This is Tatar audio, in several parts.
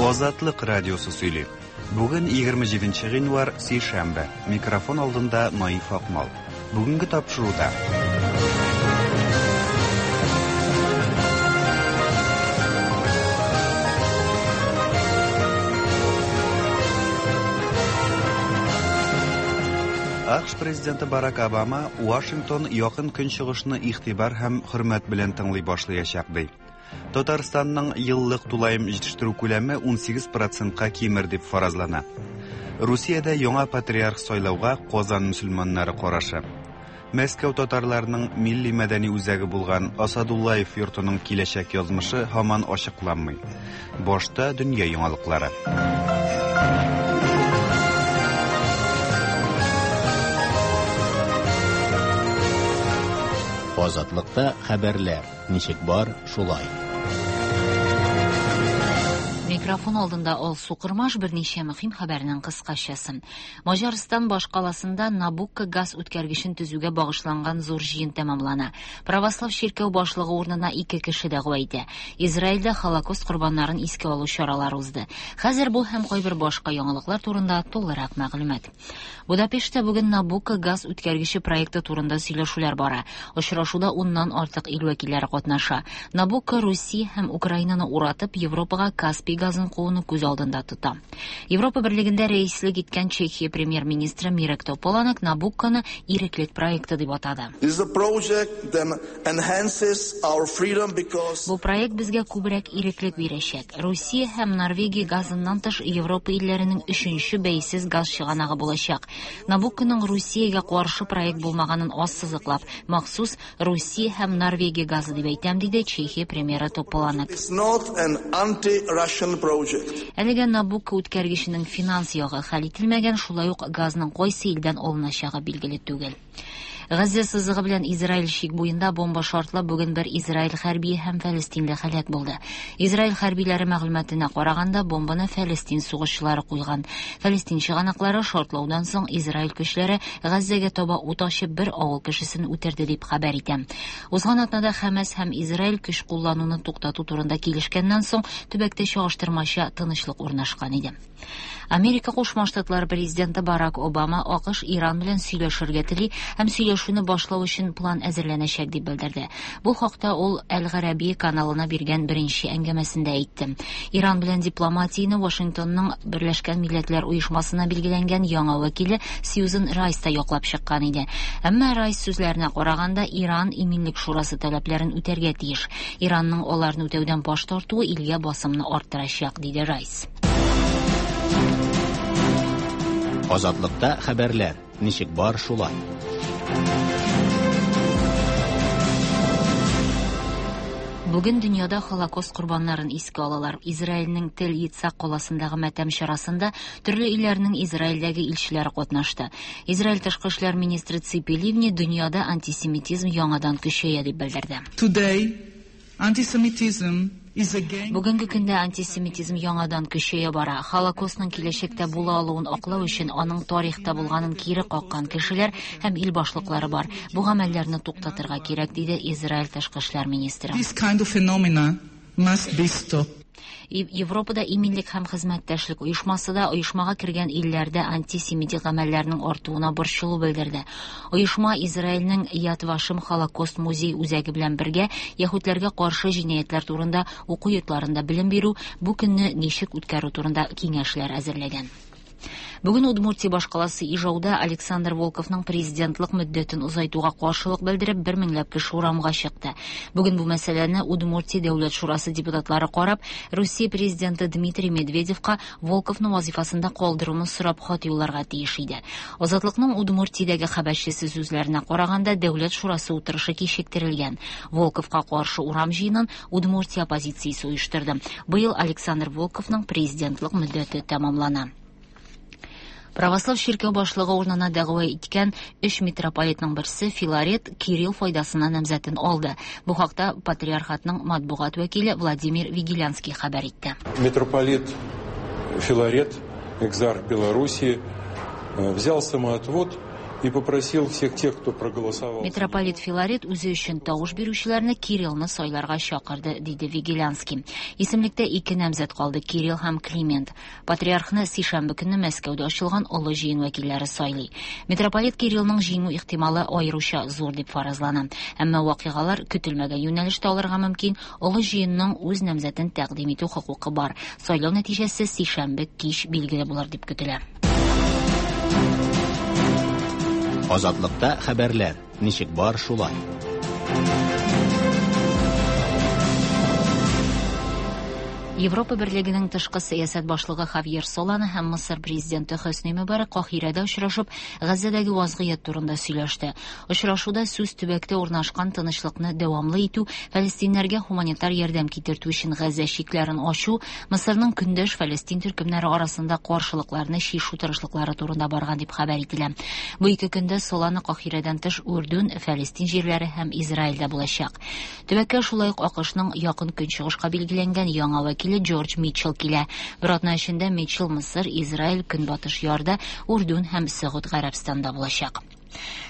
Азатлык радиосы сөйли. Бүген 27 гыйнвар, сишәмбе. Микрофон алдында Наиф Акмал. Бүгенге тапшыруда. АКШ президенты Барак Обама Вашингтон якын көнчыгышны игътибар һәм хөрмәт белән тыңлый башлаячак ди. Татарстанның еллык тулаем җитештерү күләме 18 процентка кимер дип фаразлана. Русиядә яңа патриарх сайлауга Казан мөселманнары карашы. Мәскәү татарларының милли мәдәни үзәге булган Асадуллаев йортының киләчәк язмышы һаман ачыкланмый. Башта дөнья яңалыклары. Азатлыкта хәбәрләр ничек бар, шулай. Микрофон алдында Алсу Кырмаш берничә мөһим хәбәрнең кыскачасы. Маҗарстан башкаласында Набукко газ үткәргечен төзүгә багышланган зур җыен тәмамлана. Православ чиркәү башлыгы урынына ике кеше дәгъва итә. Израильдә Холокост корбаннарын искә алу чаралары узды. Хәзер бу һәм кайбер башка яңалыклар турында тулырак мәгълүмат. Будапештта бүген Набукко газ үткәргече проекты турында сөйләшүләр бара. Очрашуда уннан артык ил вәкилләре катнаша. Набукко Русия һәм Украинаны уратып, Европага Каспий газын кууны күз алдында тота. Европа Берлегендә рәислек иткән Чехия премьер-министры Мирек Тополанек Набукконы иреклек проекты дип атады. Бу проект безгә күбрәк иреклек бирәчәк. Русия һәм Норвегия газыннан тыш Европа илләренең өченче бәйсез газ чыганагы булачак. Набукконың Русиягә каршы проект булмаганын ассызыклап, махсус Русия һәм Норвегия газы дип әйтәм, диде Чехия премьеры Тополанек. Әлегә Набукко үткәргеченең финанс ягы хәл ителмәгән, шулай ук газның кайсы илдән алыначагы билгеле түгел. Газзә сызыгы белән Израиль чик буенда бомба шартлап, бүген бер Израиль хәрбие һәм фәлестинле һәлак булды. Израиль хәрбиләре мәгълүматына караганда, бомбаны фәлестин сугышчылары куйган. Фәлестин чыганаклары шартлаудан соң Израиль көчләре Газзәгә таба ут ачып бер авыл кешесен үтерде дип хәбәр итә. Узган атнада Хәмәс һәм Израиль көч куллануны туктату турында килешкәннән соң төбәктә чагыштырмача тынычлык урнашкан иде. Америка Кушма Штатлары президенты Барак Обама АКШ Иран белән сөйләшергә тели һәм сөйләшүне башлау өчен план әзерләнәчәк дип белдерде. Бу хакта ул Әл-Гарәби каналына биргән беренче әңгәмәсендә әйтте. Иран белән дипломатияне Вашингтонның Берләшкән Милләтләр Оешмасына билгеләнгән яңа вәкиле Сьюзен Райс та яклап чыккан иде. Әмма Райс сүзләренә караганда, Иран Иминлек шурасы таләпләрен үтәргә тиеш. Иранның аларны үтәүдән баш тартуы илгә басымны арттырачак, диде Райс. Азатлыкта хәбәрләр ничек бар, шулай. Бүген дөньяда Холокост корбаннарын искә алалар. Израильнең Тел Ицхак каласындагы матәм чарасында төрле илләрнең Израильдәге илчеләре катнашты. Израиль тышкы эшләр министры Ципи Ливни дөньяда антисемитизм яңадан көчәя дип белдерде. Today, antisemitism is again Бүгенге көндә антисемитизм яңадан көчәя бара. Холокостның киләчәктә була алуын аклау өчен аның тарихта булганын кире каккан кешеләр һәм ил башлыклары бар. Бу гамәлләрне туктатырга кирәк, диде Израиль тышкы эшләр министры. This kind of phenomena must be stopped. Европада иминлек һәм хезмәттәшлек оешмасы да оешмага кергән илләрдә антисемитик гамәлләрнең артуына борчылу белдерде. Оешма Израильнең Яд Вашем Холокост музей үзәге белән бергә яһүдләргә каршы җинаятьләр турында уку йортларында белем бирү, бу көнне ничек үткәрү турында киңәшләр әзерләгән. Бүген Удмуртия башкаласы Ижауда Александр Волковның президентлык мөддәтен озайтуга каршылык белдереп, бер меңләп кеше урамга чыкты. Бүген бу мәсьәләне Удмуртия Дәүләт шурасы депутатлары карап, Русия президенты Дмитрий Медведевка Волковны вазифасында калдыруны сорап хат юлларга тиеш иде. Азатлыкның Удмуртиядәге хәбәрчесе сүзләренә караганда, Дәүләт шурасы утырышы кичектерелгән. Волковка каршы урам җыенын Удмуртия оппозициясе оештырды. Быел Александр Волковның президентлык мөддәте тәмамлана. Православ чиркәү башлыгы урынына дәгъва иткән өч митрополитның берсе Филарет Кирилл файдасына намзәтен алды. Бу хакта патриархатның матбугат вәкиле Владимир Вигилянский хәбәр итте. Митрополит Филарет, экзарх Белоруссии, взял самоотвод И попросил всех тех, кто проголосовал. Митрополит Филарет үзе өчен тавыш бирүчеләрне Кириллны сайларга чакырды, диде Вигелянский. Исемлектә ике намзәт калды: Кирилл һәм Климент. Патриархны сишәмбе көнне Мәскәүдә ачылган Олы җыен вәкилләре сайлый. Митрополит Кириллның җиңү ихтималы аеруча зур дип фаразлана. Әмма вакыйгалар көтелмәгән юнәлештә алырга мөмкин. Олы җыенның үз намзәтен тәкъдим итү хокукы бар. Сайлау нәтиҗәсе сишәмбе кич билгеле булыр дип көтелә. Азатлыкта хәбәрләр ничек бар шулай. Европа Берлегенең тышкы сәясәт башлыгы Хавьер Солана һәм Мысыр президенты Хөсни Мөбарәк Каһирәдә очрашып, Газзәдәге вазгыять турында сөйләште. Очрашуда сүз төбәктә урнашкан тынычлыкны дәвамлы итү, фәлестиннәргә һуманитар ярдәм китертү өчен Газзә чикләрен ачу, Мысырның көндәш фәлестин төркемнәре арасында каршылыкларны чишү тырышлыклары турында барган дип хәбәр ителә. Бу ике көндә Солана Каһирәдән тыш Үрдүн, Фәлестин җирләре һәм Израильдә булачак. Төбәккә шулай ук АКШның якын көнчыгышка билгеләнгән яңа вәкиле Джордж Митчелл килә. Бер атна эчендә Митчелл Мысыр, Израиль, Көнбатыш Ярда, Үрдүн һәм Сәгуд Гарәбстанда булачак.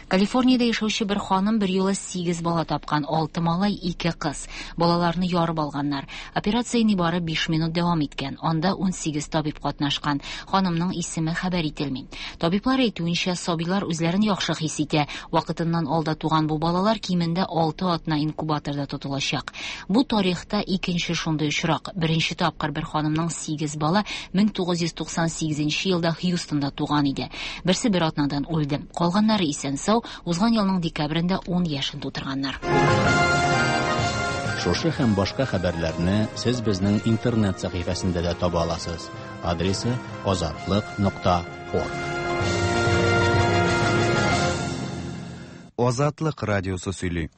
Калифорниядә яшәүче бер ханым бер юлы 8 бала тапкан, 6 малай, 2 кыз. Балаларны ярып алганнар. Операция нибары 5 минут дәвам иткән. Анда 18 табиб катнашкан. Ханымның исеме хәбәр ителми. Табиблар әйтүенчә, сабыйлар үзләрен яхшы хис итә. Вакытыннан алда туган бу балалар кимендә 6 атна инкубаторда тотылачак. Бу тарихта икенче шундый очрак. Беренче тапкыр бер ханымның 8 бала 1998 елда Хьюстонда туган иде. Берсе бер атнадан үлде. Калганнары исән-сау, узган елның декабрендә 10 яшен тутырганнар. Шушы һәм башка хәбәрләрне сез безнең интернет сәхифәсендә дә таба аласыз. Адресы azatliq.org. Азатлык радиосы сөйли.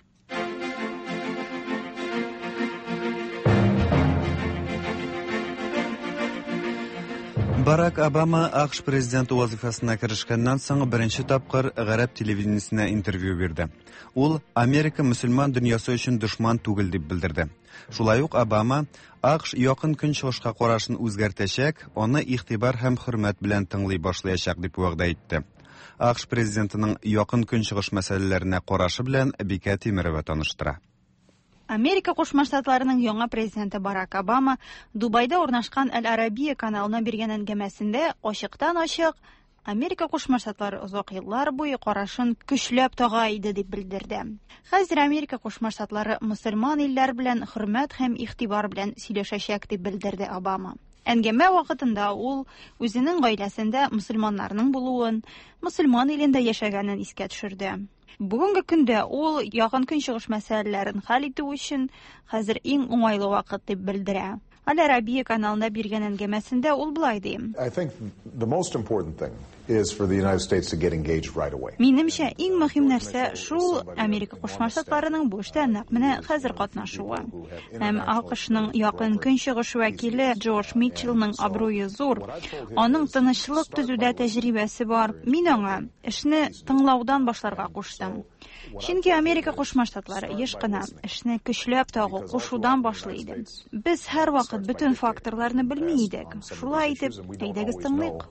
Барак Обама АКШ президенты вазифасына керешкәннән соң беренче тапкыр гарәп телевидениесенә интервью бирде. Ул Америка мөселман дөньясы өчен дошман түгел дип белдерде. Шулай ук Обама АКШ якын көнчыгышка карашын үзгәртәчәк, аны игътибар һәм хөрмәт белән тыңлый башлаячак дип вәгъдә итте. АКШ президентының якын көнчыгыш мәсьәләләренә карашы белән Бикә Тимерова таныштыра. Америка Кушма Штатларының яңа президенты Барак Обама Дубайда урнашкан Әл-Арабия каналына биргән әңгәмәсендә ачыктан-ачык Америка Кушма Штатлары озак еллар буе карашын көчләп тага иде дип белдерде. Хәзер Америка Кушма Штатлары мөселман илләр белән хөрмәт һәм игътибар белән сөйләшәчәк дип белдерде Обама. Әңгәмә вакытында ул үзенең гаиләсендә мөселманнарның булуын, мөселман илендә яшәгәнен искә төшерде. Бүгенге көндә ул якын көнчыгыш мәсьәләләрен хәл итү өчен хәзер иң уңайлы вакыт дип белдерә. Аль-Арабия каналында биргән әңгәмәсендә ул болай ди. I think the most important thing is for the United States to get engaged right away. Минемчә, иң мөһим нәрсә шул Америка Кушма Штатларының бу эштә нәкъ менә хәзер катнашуы. Һәм АКШның якын көнчыгыш вәкиле Джордж Митчеллның абруе зур. Аның тынычлык төзүдә тәҗрибәсе бар. Мин аңа эшне тыңлаудан башларга куштым. Чөнки Америка Кушма Штатлары еш кына эшне көчләп тагу, кушудан башлый иде. Без һәрвакыт бөтен факторларны белми идек. Шулай итеп, әйдәгез тыңлыйк.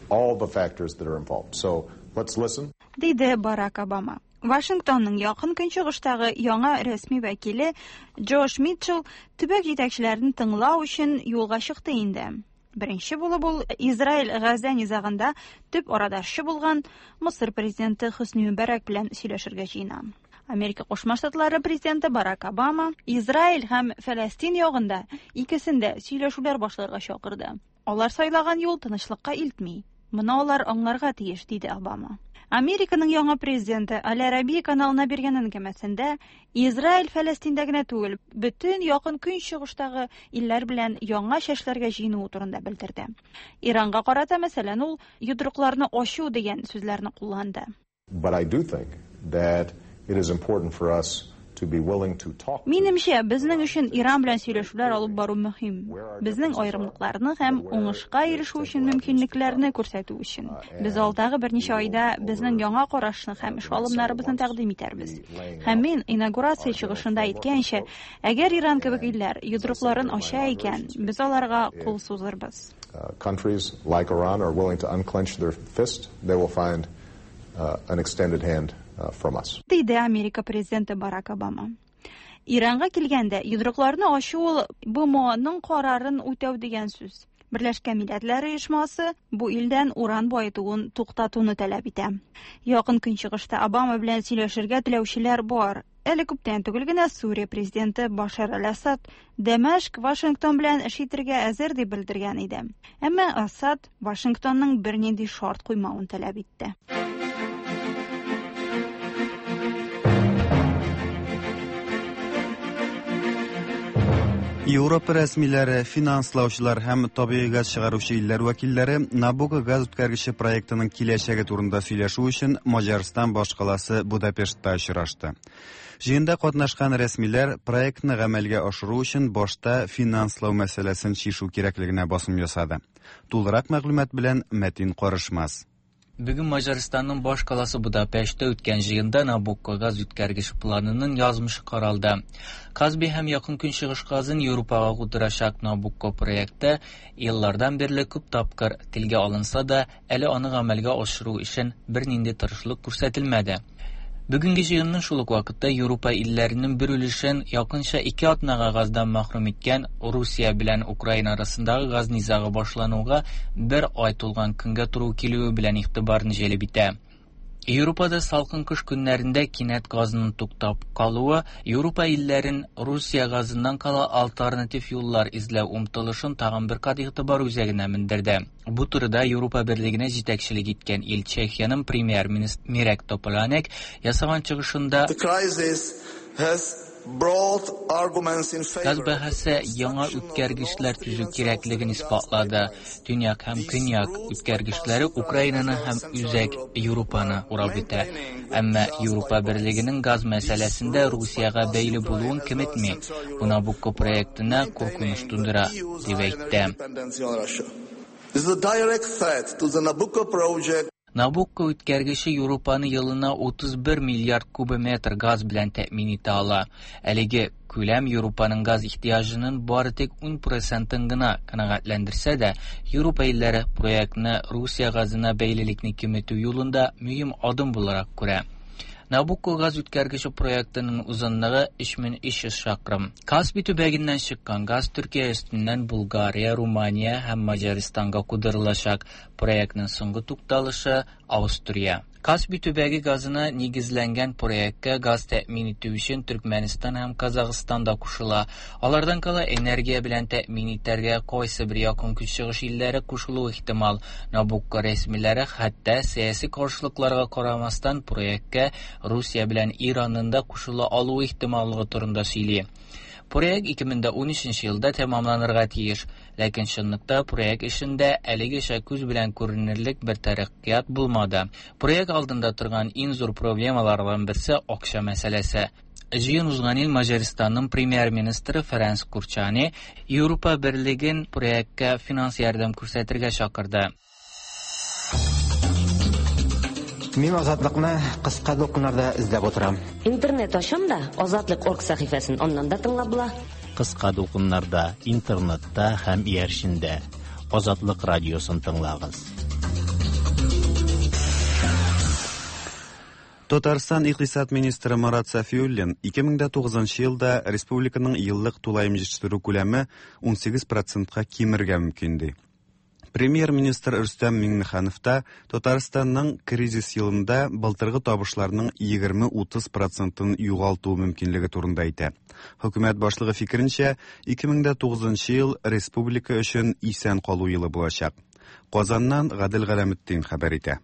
All the factors that are involved. So let's listen. Диде Барак Обама. Вашингтонның якын көнчыгыштагы яңа рәсми вәкиле Джош Митчелл төбәк җитәкчеләрен тыңлау өчен юлга чыкты инде. Беренче булып ул Израиль-Газа низагында төп арадашчы булган Мысыр президенты Хөсни Мөбарәк белән сөйләшергә җыена. Америка Кушма Штатлары президенты Барак Обама Израиль һәм Фәләстин ягында икесендә сөйләшүләр башларга чакырды. Алар сайлаган юл тынычлыкка илтми. Моны алар аңларга тиеш, диде Обама. Американың яңа президенты Аль-Арабия каналына биргән әңгәмәсендә Израиль Фәләстиндә генә түгел, бөтен якын көнчыгыштагы илләр белән яңа чәшләргә җыенуы турында белдерде. Иранга карата, мәсәлән, ул йодрыкларны ачу дигән сүзләрне кулланды. But I do think that it is important for us to be willing to talk. Минемчә, безнең өчен Иран белән сөйләшүләр алып бару мөһим. Безнең аерымлыкларны һәм уңышка ирешү өчен мөмкинлекләрне күрсәтү өчен. Без алдагы берничә айда безнең яңа карашны һәм эш алымнарыбызны тәкъдим итәрбез. Һәм мин инаугурация чыгышында әйткәнчә, әгәр Иран кебек илләр йодрыкларын ача икән, без аларга кул сузырбыз. Countries like Iran are willing to unclench their fist, they will find an extended hand from us. Диде Америка президенты Барак Обама. Иранга килгәндә, йодрыкларны ачу ул БМОның карарын үтәү дигән сүз. Берләшкән Милләтләр Оешмасы бу илдән уран баетуын туктатуны таләп итә. Якын Көнчыгышта Обама белән сөйләшергә теләүчеләр бар. Әле күптән түгел генә Сүрия президенты Башар аль-Асад Дәмәшк Вашингтон белән эш итәргә әзер дип белдергән иде. Әмма Асад Вашингтонның бернинди шарт куймавын таләп итте. Европа рәсмиләре, финанслаучылар һәм табигый газ чыгаручы илләр вәкилләре Набуко газ үткәргече проектының киләчәге турында сөйләшү өчен Маҗарстан башкаласы Будапештта очрашты. Җыенда катнашкан рәсмиләр проектны гамәлгә ашыру өчен башта финанслау мәсьәләсен чишү кирәклегенә басым ясады. Тулырак мәгълүмат белән Мәтин Карышмас. Бүген Маҗарстанның баш каласы Будапештта үткән җыенда Набукко газ үткәргеч планының язмышы каралды. Казби һәм Якын Көнчыгыш газын Европага кудырачак Набукко проекты еллардан бирле күп тапкыр телгә алынса да, әле аны гамәлгә ашыру өчен бернинди тырышлык күрсәтелмәде. Бүгенге җыенның шул ук вакытта Европа илләренең бер өлешен якынча 2 атнага газдан мәхрүм иткән Русия белән Украина арасындагы газ низагы башлануга бер ай тулган көнгә туры килүе белән игътибарны җәлеп итә. Европада салкын кыш көннәрендә кинәт газның туктап калуы Европа илләрен Русия газыннан кала альтернатив юллар эзләү омтылышын тагын бер кат игътибар үзәгенә мендерде. Бу турыда Европа Берлегенә җитәкчелек иткән ил Чехиянең премьер-министры Мирек Тополанек ясаган чыгышында газ бәһасе яңа үткәргечләр төзү кирәклеген исбатлады. Төньяк һәм көньяк үткәргечләре Украинаны һәм Үзәк Европаны урап үтә. Әмма Европа Берлегенең газ мәсьәләсендә Русиягә бәйле булуын киметми. Бу Набукко проектына куркыныч тудыра, дип әйтте. This is a direct threat to the Nabucco project. Набукко үткәргече Европаны елына 31 миллиард кубометр газ белән тәэмин итә ала. Әлеге күләм Европаның газ ихтыяҗының бары тик 10%-ын гына канәгатьләндерсә дә, Европа илләре проектны Русия газына бәйлелекне киметү юлында мөһим адым буларак күрә. Набукко газ үткәргече проектының узынлыгы 3300 чакрым. Каспий төбәгеннән чыккан газ Төркия өстеннән Булгария, Румыния һәм Маҗарстанга кудырылачак. Проектның соңгы тукталышы Австрия. Каспий төбәге газына нигезләнгән проектка газ тәэмин итү өчен Төркмәнстан һәм Казахстан да кушыла. Алардан кала энергия белән тәэмин итәргә кайсы бер якын көнчыгыш илләре кушылуы ихтимал. Набукко рәсмиләре хәтта сәяси каршылыкларга карамастан проектка Русия белән Иранның да кушыла алуы ихтималлыгы турында сөйли. Проект 2013 елда тәмамланырга тиеш, ләкин чынлыкта проект эшендә әлегәчә күз белән күренерлек бер тәрәккыят булмады. Проект алдында торган иң зур проблемалардан берсе акча мәсьәләсе. Җыен узган ел Маҗарстанның премьер-министры Ференц Курчани Европа Берлеген проектка финанс ярдәм күрсәтергә чакырды. Мин Азатлыкны кыска дулкыннарда эзләп утырам. Интернет ачам да, Азатлык.орг сәхифәсен аннан да тыңлап була. Кыска дулкыннарда, интернетта һәм иярчендә Азатлык радиосын тыңлагыз. Татарстан икътисад министры Марат Сафиуллин 2009 елда республиканың еллык тулаем җитештерү күләме 18%-ка кимергә мөмкин ди. Премьер-министр Рөстәм Миңнеханов та Татарстанның кризис елында былтыргы табышларның 20-30%-ын югалту мөмкинлеге турында әйтә. Хөкүмәт башлыгы фикеренчә, 2009 ел республика өчен исән калу елы булачак. Казаннан Гадел Галәметдин хәбәр итә.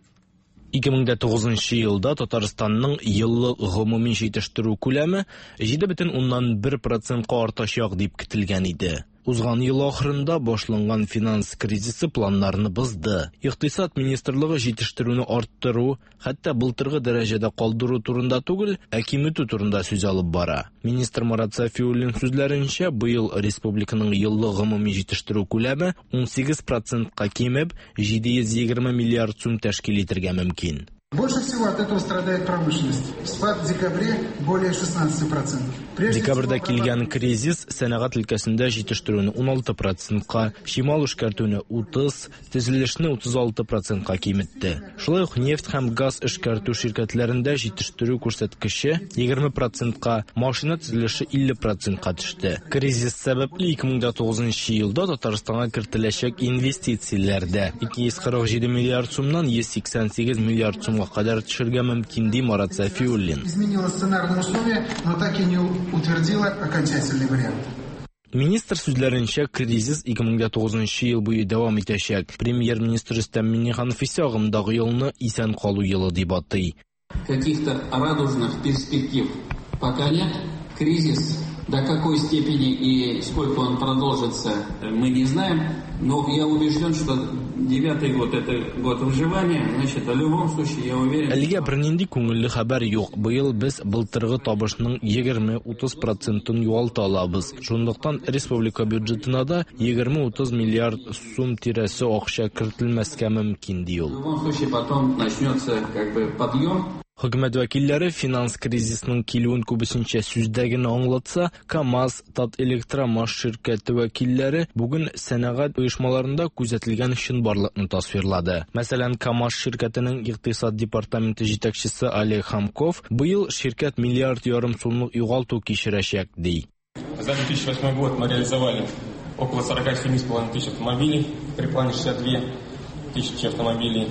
2009 елда Татарстанның еллык гомуми җитештерү күләме 7,1%-ка артачак дип көтелгән иде. Узган ел ахырында башланган финанс кризисы планнарны бозды. Икътисад министрлыгы җитештерүне арттыру, хәтта былтыргы дәрәҗәдә калдыру турында түгел, ә киметү турында сүз алып бара. Министр Марат Сафиуллин сүзләренчә, быел республиканың еллык гомуми җитештерү күләме 18%-ка кимеп, 720 миллиард сум тәшкил итәргә мөмкин. Больше всего от этого страдает промышленность. Спад в декабре более 16%. Декабрьдә килгән кризис сәнәгать өлкәсендә җитештерүне 16 процентка, чимал эшкәртүне 30, төзелешне 36 процентка киметте. Шулай ук нефть һәм газ эшкәртү ширкәтләрендә җитештерү күрсәткече 20 процентка, машина төзелеше 50 процентка төште. Кризис сәбәпле 2009 елда Татарстанга кертеләчәк инвестицияләр дә 247 миллиард сумнан 188 миллиард сумга кадәр төшергә мөмкин, ди Марат Сафиуллин. Изменила сценарные условия, но так и не утвердила окончательный вариант. Министр сүзләренчә, кризис 2009 ел буе дәвам итәчәк. Премьер-министр Рөстәм Миңнеханов исә агымдагы елны исән калу елы дип атый. Каких-то радужных перспектив пока нет. Кризис до какой степени и сколько он продолжится, мы не знаем. Но я убежден, что девятый год – это год выживания. Значит, в любом случае, я уверен... Әлегә бернинди күңелле хәбәр юк. Быел без былтыргы табышның 20-30 процентын югалта алабыз. Шунлыктан республика бюджетына да 20-30 миллиард сум тирәсе акча кертелмәскә мөмкин, ди ул. В любом случае, потом начнется как бы подъем. Хөкүмәт вәкилләре финанс кризисының килүен күбесенчә сүздә генә аңлатса, КАМАЗ, Татэлектромаш ширкәте вәкилләре бүген сәнәгать оешмаларында күзәтелгән чынбарлыкны тасвирлады. Мәсәлән, КАМАЗ ширкәтенең икътисад департаменты җитәкчесе Олег Хамков быел ширкәт миллиард ярым сумлык югалту кичерәчәк, ди. За 2008 год мы реализовали около 47,5 тысяч автомобилей, при плане 62 тысячи автомобилей,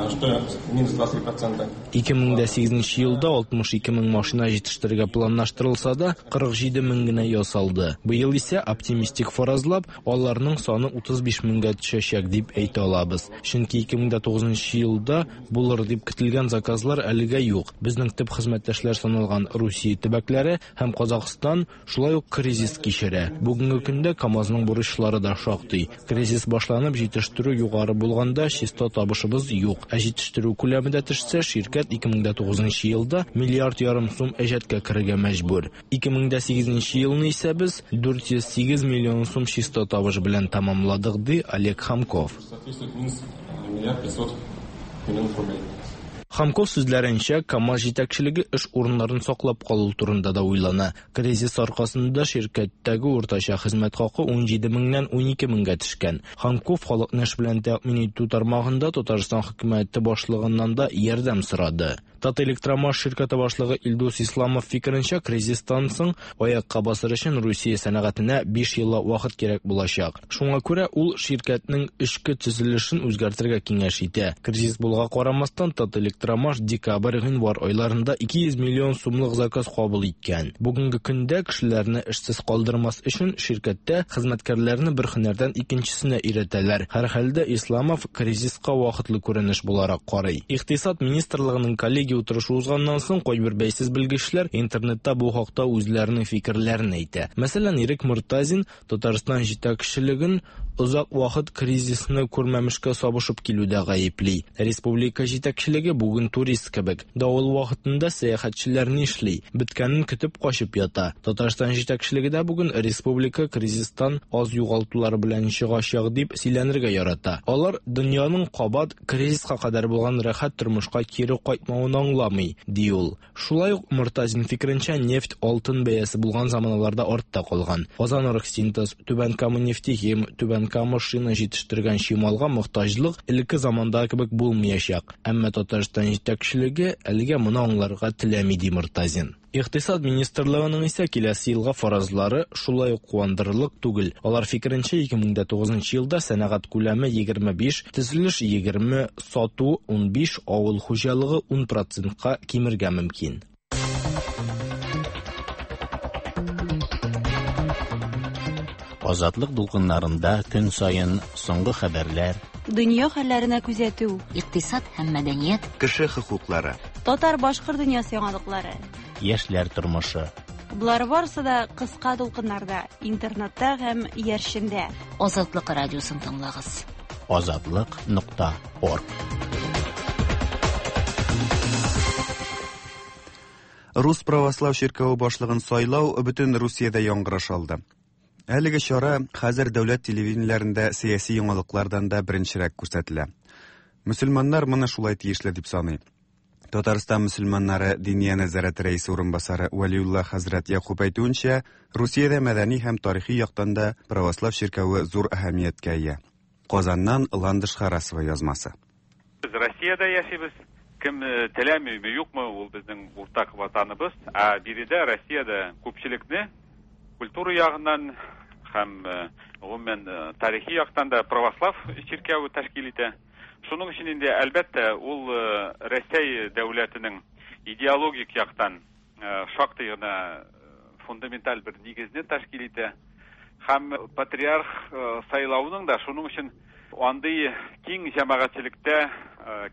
что минус 23%. 2008 елда 62 мең машина җитештерергә планлаштырылса да, 47 мең генә ясалды. Быел исә оптимистик фаразлап, аларның саны 35 меңгә төшәчәк дип әйтә алабыз. Чөнки 2009 елда булыр дип көтелгән заказлар әлегә юк. Безнең төп хезмәттәшләр саналган Русия төбәкләре һәм Казахстан шулай ук кризис кичерә. Бүгенге көндә КАМАЗның бурычлары да шактый. Кризис башланып, җитештерү югары булганда чиста табышыбыз юк. Ә җитештерү күләме дә төшсә, ширкәт 2009 елда миллиард ярым сум әҗәткә керергә мәҗбүр. 2008 елны исә без 408 миллион сум чиста табыш белән тәмамладык, ди Олег Хамков. Соответствует минус 1 500 миллионов рублей. Хамков сүзләренчә, КАМАЗ җитәкчелеге эш урыннарын саклап калу турында да уйлана. Кризис аркасында ширкәттәге уртача хезмәт хакы 17 меңнән 12 меңгә төшкән. Хамков халыкны эш белән тәэмин итү тармагында Татарстан хөкүмәте башлыгыннан да ярдәм сорады. Татэлектромаш ширкәте башлыгы Илдус Исламов фикеренчә, кризистан соң аякка басыр өчен Русия сәнәгатенә 5 еллап вакыт кирәк булачак. Шуңа күрә ул ширкәтнең эчке төзелешен үзгәртергә киңәш итә. Кризис булуга карамастан, Татэлектромаш декабрь-гыйнвар айларында 200 миллион сумлык заказ кабул иткән. Бүгенге көндә кешеләрне эшсез калдырмас өчен ширкәттә хезмәткәрләрне бер һөнәрдән икенчесенә өйрәтәләр. Һәрхәлдә Исламов кризиска вакытлы күренеш буларак карый. Икътисад министрлыгының коллегия утырышы узганнан соң кайбер бәйсез белгечләр интернетта бу хакта үзләренең фикерләрен әйтә. Мәсәлән, Ирек Мортазин Татарстан җитәкчелеген озак вакыт кризисны күрмәмешкә сабышып килүдә гаепли. Республика җитәкчелеге бүген турист кебек. Давыл вакытында сәяхәтчеләр нишли? Беткәнен көтеп качып ята. Татарстан җитәкчелеге дә бүген республика кризистан аз югалтулар белән чыгачак дип сөйләнергә ярата. Алар дөньяның кабат кризиска кадәр булган рәхәт тормышка кире кайтмавын аңламый, ди ул. Шулай ук Мортазин фикеренчә, нефть алтын бәясе булган заманаларда артта калган. Казан Оргсинтез, Түбән Кама нефтехим, Түбән Кама шина җитештергән чималга мохтаҗлык элекке замандагы кебек булмаячак. Әмма Татарстан җитәкчелеге әлегә моны аңларга теләми, ди Мортазин. Икътисад министрлыгының исә киләсе елга фаразлары шулай ук куандырырлык түгел. Алар фикеренчә, 2009 елда сәнәгать күләме 25, төзелеш 20, сату 15, авыл хуҗалыгы 10 процентка кимергә мөмкин. Азатлык дулкыннарында көн саен соңгы хәбәрләр, Дөнья хәлләренә күзәтү, икътисад һәм мәдәният, кеше хокуклары, татар-башкорт дөньясы яңалыклары, яшьләр тормышы. Болар барысы да кыска дулкыннарда, интернетта һәм иярчендә. Азатлык радиосын тыңлагыз. Азатлык.орг. Рус православ чиркәве башлыгын сайлау бөтен Русиядә яңгыраш алды. Әлеге чара хәзер дәүләт телевидениеләрендә сәяси яңалыклардан да беренчерәк күрсәтелә. Мөселманнар моны шулай тиешле дип саный. Татарстан мөселманнары Диния нәзарәте рәисе урынбасары Вәлиулла хәзрәт Якуб әйтүенчә, Русиядә мәдәни һәм тарихи яктан да православ чиркәве зур әһәмияткә ия. Казаннан Ландыш Харасова язмасы. Без Россиядә яшибез. Кем теләмиме, юкмы, ул безнең уртак ватаныбыз. Ә биредә Россиядә күпчелекне культура ягыннан һәм гомумән тарихи яктан да православ чиркәве тәшкил итә. Шуның өчен инде, әлбәттә, ул Рәсәй дәүләтенең идеологик яктан шактый гына фундаменталь бер нигезне тәшкил итә. Һәм патриарх сайлауның да шуның өчен андый киң җәмәгатьчелектә,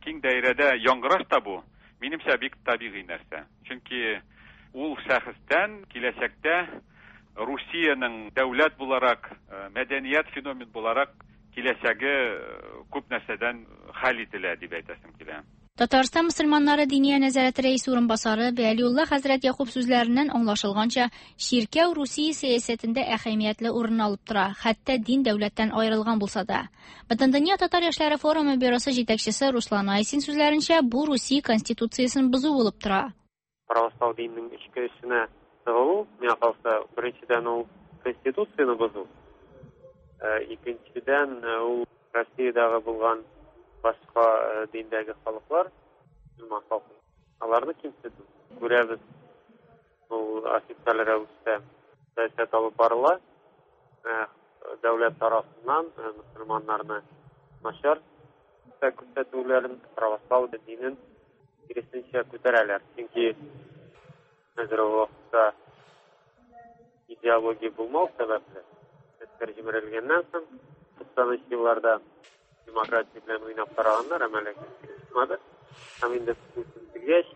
киң даирәдә яңгыраш та бу, минемчә, бик табигый нәрсә. Чөнки ул шәхестән киләчәктә Русиянең дәүләт буларак, мәдәният феномен буларак киләчәге күп нәрсәдән хәл ителә дип әйтәсем килә. Татарстан мөселманнары Диния нәзарәте рәисе урынбасары Вәлиулла хәзрәт Якуб сүзләреннән аңлашылганча, чиркәү Русия сәясәтендә әһәмиятле урын алып тора, хәтта дин дәүләттән аерылган булса да. Бөтендөнья татар яшьләре форумы бюросы җитәкчесе Руслан Айсин сүзләренчә, бу Русия конституциясен бозу булып тора. Православ диненең эчке эшенә тыгылу, миңа калса, беренчедән ул конституцияне бозу, икенчедән ул Россиядәге булган башка диндәге халыклар, мөселман халкы, аларны кимсетү. Күрәбез, ул официаль рәвештә сәясәт алып барыла. Дәүләт тарафыннан мөселманнарны начар күрсәтүләрен, православ динен киресенчә күтәрәләр. Чөнки хәзерге вакытта идеология булмау сәбәпле, СССР җимерелгәннән соң, 90 елларда демократия белән уйнап караганнар, әмма ләкин чыкмады. Һәм инде Путин килгәч,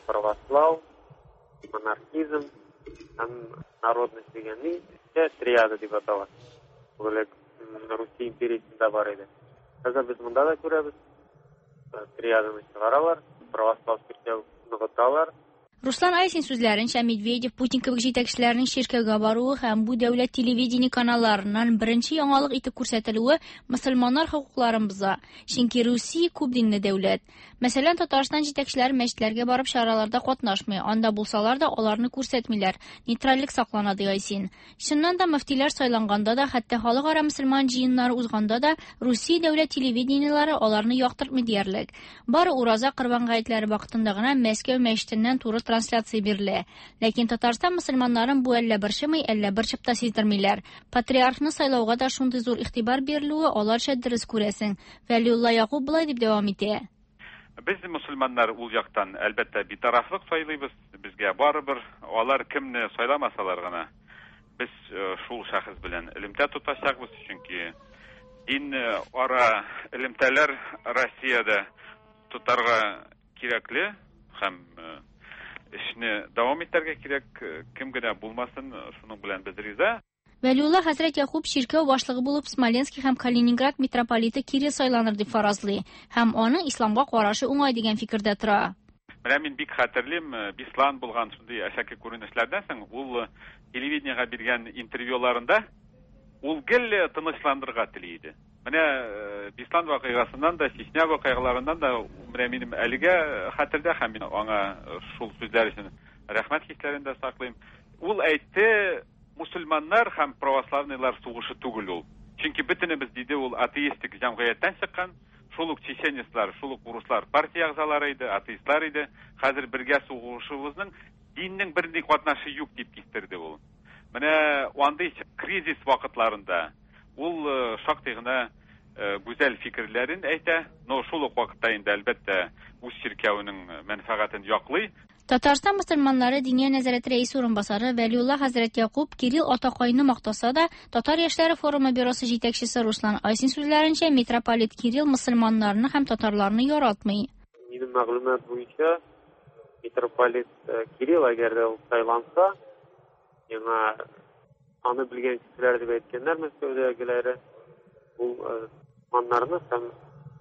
православ, монархизм һәм народность дигән ни, триада дип атала. Ул элек Русия империясендә бар иде. Хәзер без монда да күрәбез, триаданы чыгаралар, православ чиркәү ныгыталар. Руслан Айсин сүзләренчә, Медведев, Путин кебек җитәкчеләрнең чиркәүгә баруы һәм бу дәүләт телевидение каналларыннан беренче яңалык итеп күрсәтелүе мөселманнар хокукларын боза. Чөнки Русия күп динле дәүләт. Мәсәлән, Татарстан җитәкчеләре мәчетләргә барып чараларда катнашмый, анда булсалар да аларны күрсәтмиләр. Нейтральлек саклана, ди Айсин. Чыннан да мөфтиләр сайланганда да, хәтта халыкара мөселман җыеннары узганда да Русия дәүләт телевидениеләре аларны яктыртмый диярлек. Бары Ураза Корбан гаетләре вакытында гына Мәскәү мәчетеннән туры трансляция бирелә. Ләкин Татарстан мөселманнарын бу әллә борчымый, әллә борчып та сиздермиләр. Патриархны сайлауга да шундый зур игътибар бирелүе аларча дөрес күрәсең. Вәлиулла Якуб болай дип дәвам итә. Без мөселманнар ул яктан, әлбәттә, битарафлык сайлыйбыз. Безгә барыбер, алар кемне сайламасалар гына, без шул шәхес белән элемтә тотачакбыз, чөнки дин ара элемтәләр Россиядә тотарга кирәкле һәм эшне дәвам итәргә кирәк, кем генә булмасын, шуның белән без риза. Вәлиулла хәзрәт Якуб чиркәү башлыгы булып Смоленский һәм Калининград митрополиты Кирилл сайланыр дип фаразлый һәм аның исламга карашы уңай дигән фикердә тора. Менә мин бик хәтерлим, Беслан булган шундый әшәке күренешләрдән соң ул телевидениегә биргән интервьюларында ул гел тынычландырырга тели иде. Менә Беслан вакыйгасыннан да, Чечня вакыйгаларыннан да менә минем әлегә хәтердә һәм мин аңа шул сүзләр өчен рәхмәт хисләрен дә саклыйм. Ул әйтте, мусульманнар һәм православныйлар сугышы түгел ул. Чөнки бөтенебез, диде ул, атеистик җәмгыятьтән чыккан, шул ук чеченецлар, шул ук урыслар партия әгъзалары иде, атеистлар иде. Хәзер бергә сугышыбызның диннең бернинди катнашы юк дип кистерде ул. Менә андый кризис вакытларында ул шактый гына гүзәл фикерләрен әйтә, но шул ук вакытта инде әлбәттә үз чиркәвенең мәнфәгатен яклый. Татарстан мөселманнары Диния нәзарәте рәисе урынбасары Вәлиулла хәзрәт Якуб Кирилл атакайны мактаса да, Татар яшьләре форумы бюросы җитәкчесе Руслан Айсин сүзләренчә, митрополит Кирилл мөселманнарны һәм татарларны яратмый. Минем мәгълүмат буенча, митрополит Кирилл әгәр дә ул сайланса, миңа аны белгән кешеләр дип әйткәннәр Мәскәүдәгеләре, ул мөселманнарны һәм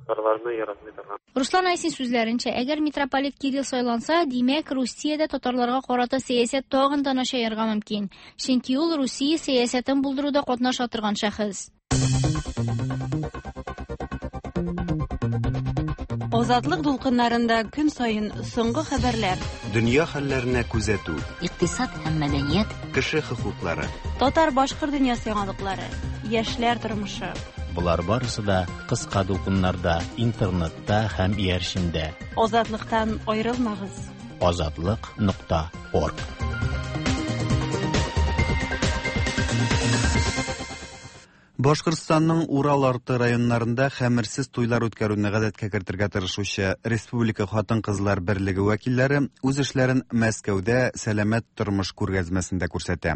татарларны яратмый торган. Руслан Айсин сүзләренчә, әгәр митрополит Кирилл сайланса, димәк, Русиядә татарларга карата сәясәт тагын да начаерга мөмкин. Чөнки ул Русия сәясәтен булдыруда катнаша торган шәхес. Азатлык дулкыннарында көн саен соңгы хәбәрләр, Дөнья хәлләренә күзәтү, Икътисад һәм мәдәният, кеше хокуклары. Татар-башкорт дөньясы яңалыклары, яшьләр тормышы. Болар барысы да кыска дулкыннарда, интернетта һәм иярчендә. Азатлыктан аерылмагыз. Азатлык.орг. Башкортстанның Урал арты районнарында хәмерсез туйлар үткәрүне гадәткә кертергә тырышучы Республика хатын-кызлар берлеге вәкилләре үз эшләрен Мәскәүдә сәламәт тормыш күргәзмәсендә күрсәтә.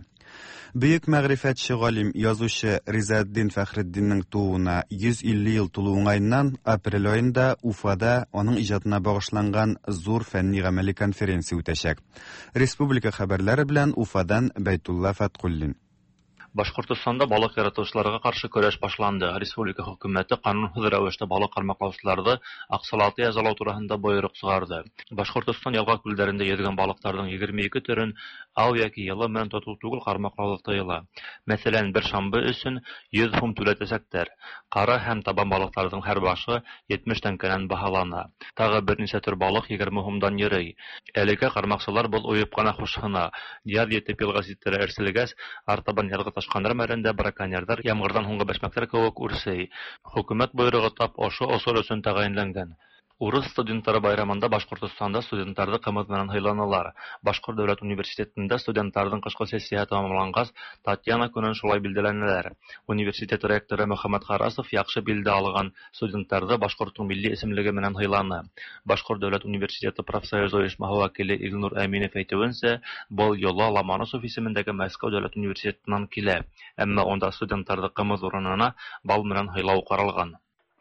Бөек мәгърифәтче галим, язучы Ризаэддин Фәхретдиннең тууына 150 ел тулу уңаеннан апрель аенда Уфада аның иҗатына багышланган зур фәнни-гамәли конференция үтәчәк. Республика хәбәрләре белән Уфадан Бәйтулла Фәткуллин. Башкортостанда балык яратучыларга каршы көрәш башланды. Республика хөкүмәте канунсыз рәвештә балык кармаклаучыларны акчалата язалау турында боерык чыгарды. Башкортостан елга күлләрендә йөзгән балыкларның 22 төрен ау яки йылым белән тоту түгел кармаклау тыела. Мәсәлән, бер шамбы өчен 100 һум түләтәчәкләр. Кара һәм табан балыкларның һәр башы 70 тәңкәдән баһалана. Тагы берничә төр балык 20 һумдан йөри. Әлегә кармакчылар был уеп кына хушһына. Яз етеп елга читләре әрселгәч, артабан язгы ташкыннар мәлендә браконьерлар ямгырдан һуңгы бәшмәкләр кебек үрсей. Хөкүмәт бойрыгы тап ошо осыр өчен тәгаенләнгән. Урыс студентлары байрамында Башкортостанда студентларны кымыз менән һыйланалар. Башкорт дәүләт университетында студентларның кышкы сессияһы тәмамлангач, Татьяна көнен шулай билгеләнәләр. Университет ректоры Мөхәммәт Харасов яхшы билде алган студентларны башкортның милли исемлеге менән һыйланы. Башкорт дәүләт университеты профсоюз оешмаһы вәкиле Илнур Әминев әйтүенчә, был йола Ломоносов исемендәге Мәскәү дәүләт университетыннан килә. Әмма унда студентларны кымыз урынына бал менән һыйлау каралган.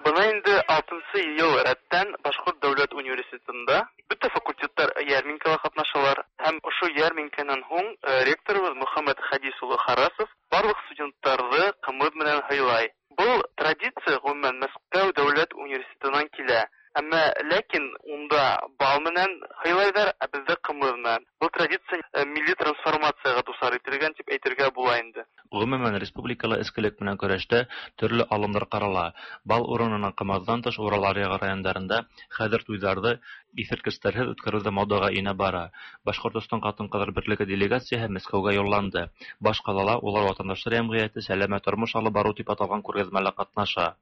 Бына инде 6 ел рәттән Башкорт дәүләт университетында бөтә факультеттар ярминкәлә катнашалар һәм ошо ярминкәнән һуң ректорыбыз Мөхәммәт Хадис улы Харасов барлык студентларны кымыз менән һыйлай. Был традиция гомумән Мәскәү дәүләт университетыннан килә. Әмма ләкин унда бал менән һыйлайҙар, ә беҙҙә ҡымыҙ менән. Был традиция милли трансформацияға дусар ителгән тип әйтергә була инде. Гомумән, республикала эскелек менән көрәштә төрлө алымдар ҡарала. Бал урынына ҡымыҙҙан тыш Урал аръяғы райондарында хәҙер туйҙарҙы иҫерткестәрһеҙ үткәреү ҙә модаға инә бара. Башҡортостан ҡатын-ҡыҙҙар берлеге делегацияһы Мәскәүгә юлланды. Баш ҡалала улар ватандаштар йәмғиәте сәләмәт тормош алып барыу тип аталған күргәҙмәлә ҡатнаша.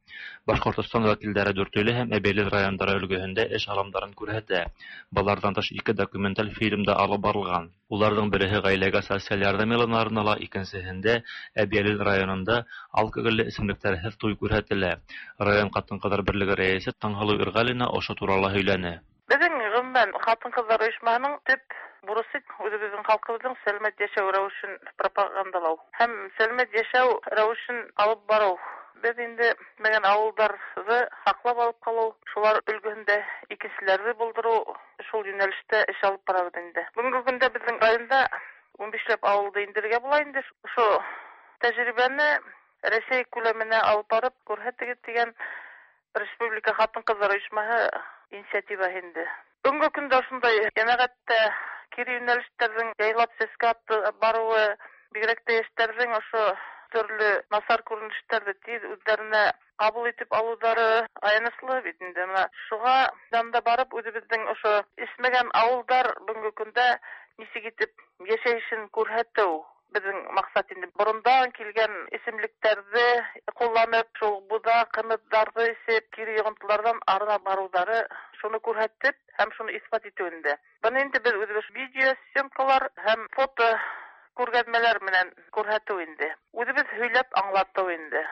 Башҡортостан вәкилдәре Дүртөйлө һәм Әбйәлил райондары өлгөһөндә эш алымдарын күрһәтә. Быларҙан тыш 2 документаль фильм да алып барылған. Уларҙың береһе ғаиләгә социаль ярҙам йылына арнала, икенсеһендә Әбйәлил районында алкоголле эсемлектәрһеҙ туй күрһәтелә. Район ҡатын-ҡыҙҙар берлеге рәйесе Таңһылыу Ирғалина ошо турала һөйләне. Беҙҙең ғөмүмән ҡатын-ҡыҙҙар ойошмаһының төп бурысы үҙебеҙҙең халҡыбыҙҙың сәләмәт йәшәү рәүешен пропагандалау һәм сәләмәт йәшәү рәүешен алып барыу. Беҙ инде менән ауылдарҙы һаҡлап алып ҡалыу, шулар өлгөһөндә икенселәрҙе булдырыу, шул йүнәлештә эш алып барабыҙ инде. Бөгөнгө көндә беҙҙең районда 15ләп ауылды индерергә була инде. Ошо тәжрибәне Рәсәй күләменә алып барып күрһәтегеҙ тигән республика ҡатын-ҡыҙҙар ойошмаһы инициативаһы инде. Бөгөнгө көндә ошондай йәмәғәттә кире йүнәлештәрҙең яйлап сәскә барыуы, бигерәк тә йәштәрҙең ошо төрлө насар күренештәрҙе тиҙ үҙҙәренә ҡабул итеп алыуҙары аяныслы бит инде. Мына шуға янда барып үҙебеҙҙең ошо эсмәгән ауылдар бөгөнгө көндә нисек итеп йәшәйешен күрһәтеү беҙҙең маҡсат инде. Борондан килгән эсемлектәрҙе ҡулланып, шул буҙа, ҡымыҙҙарҙы эсеп, кире йоғонтоларҙан арына барыуҙары шуны күрһәтеп һәм шуны иҫбат итеү инде. Быны инде беҙ үҙебеҙ видеосъемкалар һәм фото күргәҙмәләр менән күрһәтеү инде. Үҙебеҙ һөйләп аңлатыу инде.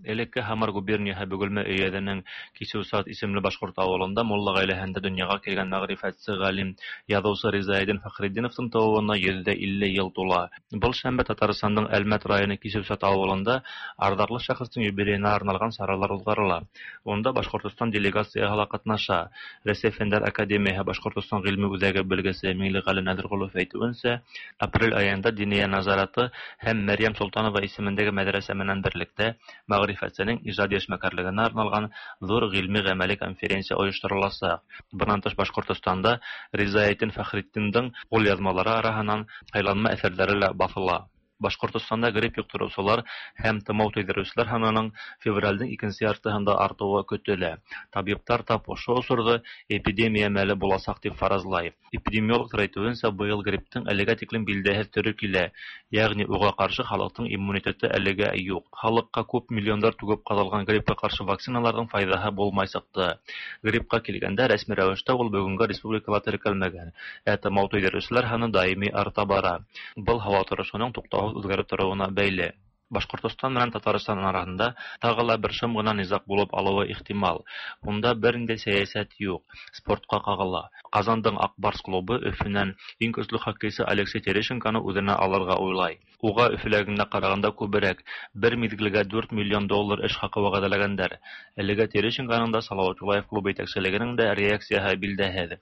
Элекке Һамар губернияһы Бөгөлмә өйәҙенең Кисеүсат исемле башҡорт ауылында мулла ғаиләһендә донъяға килгән мәғрифәтсе ғалим, яҙыусы Ризаэддин Фәхретдиновтың тыуыуына 150 йыл тула. Был шәмбе Татарстандың Әлмәт районы Кисеүсат ауылында арҙаҡлы шәхестең юбилейына арналған саралар уҙғарыла. Унда Башҡортостан делегацияһы ла ҡатнаша. Рәсәй Фәндәр Академияһы Башҡортостан ғилми үҙәге белгесе Миңлеғәле Нәҙерғолов әйтеүенсә, апрель айында Диниә назараты һәм Мәрйәм Солтанова исемендәге мәҙрәсә менән берлектә мәғрифәтсенең ижади эшмәкәрлегенә арналған ҙур ғилми-ғәмәли конференция ойоштороласаҡ. Бынан тыш Башҡортостанда Ризаэддин Фәхретдиндең ҡулъяҙмалары араһынан һайланма әҫәрҙәре лә баҫыла. Башкортостанда грипп йоктыручылар һәм тымау тойдыручылар һанының февральдең икенче яртыһында артыуы көтөлә. Табиптар тап ошо осорҙо эпидемия мәле буласаҡ тип фаразлай. Эпидемиологтар әйтеүенсә, быйыл грипптың әлегә тиклем билдәһеҙ төрө килә, йәғни уға ҡаршы халыҡтың иммунитеты әлегә юҡ. Халыҡҡа күп миллиондар түгеп ҡаҙалған гриппка ҡаршы вакциналарҙың файҙаһы булмай сыҡты. Гриппка килгәндә, рәсми рәүештә ул бөгөнгә республикала теркәлмәгән, ә тымау тойҙырыусылар һаны даими арта бара. Был һауа торошоноң туҡтауһыҙ үҙгәреп тороуына бәйле. Башҡортостан менән Татарстан араһында тағы ла бер шым ғына низаҡ булып алыуы ихтимал. Унда бер ниндәй сәйәсәт юҡ, спортҡа ҡағыла. Ҡазандың Аҡ Барс клубы Өфөнән иң көслө хоккейсы Алексей Терещенконы үҙенә алырға уйлай. Уға Өфөләгенә ҡарағанда күберәк, бер миҙгелгә 4 миллион доллар эш хаҡы вәғәҙәләгәндәр. Әлегә Терещенконың да, Салауат Юлаев клубы етәкселегенең дә реакцияһы билдәһеҙ.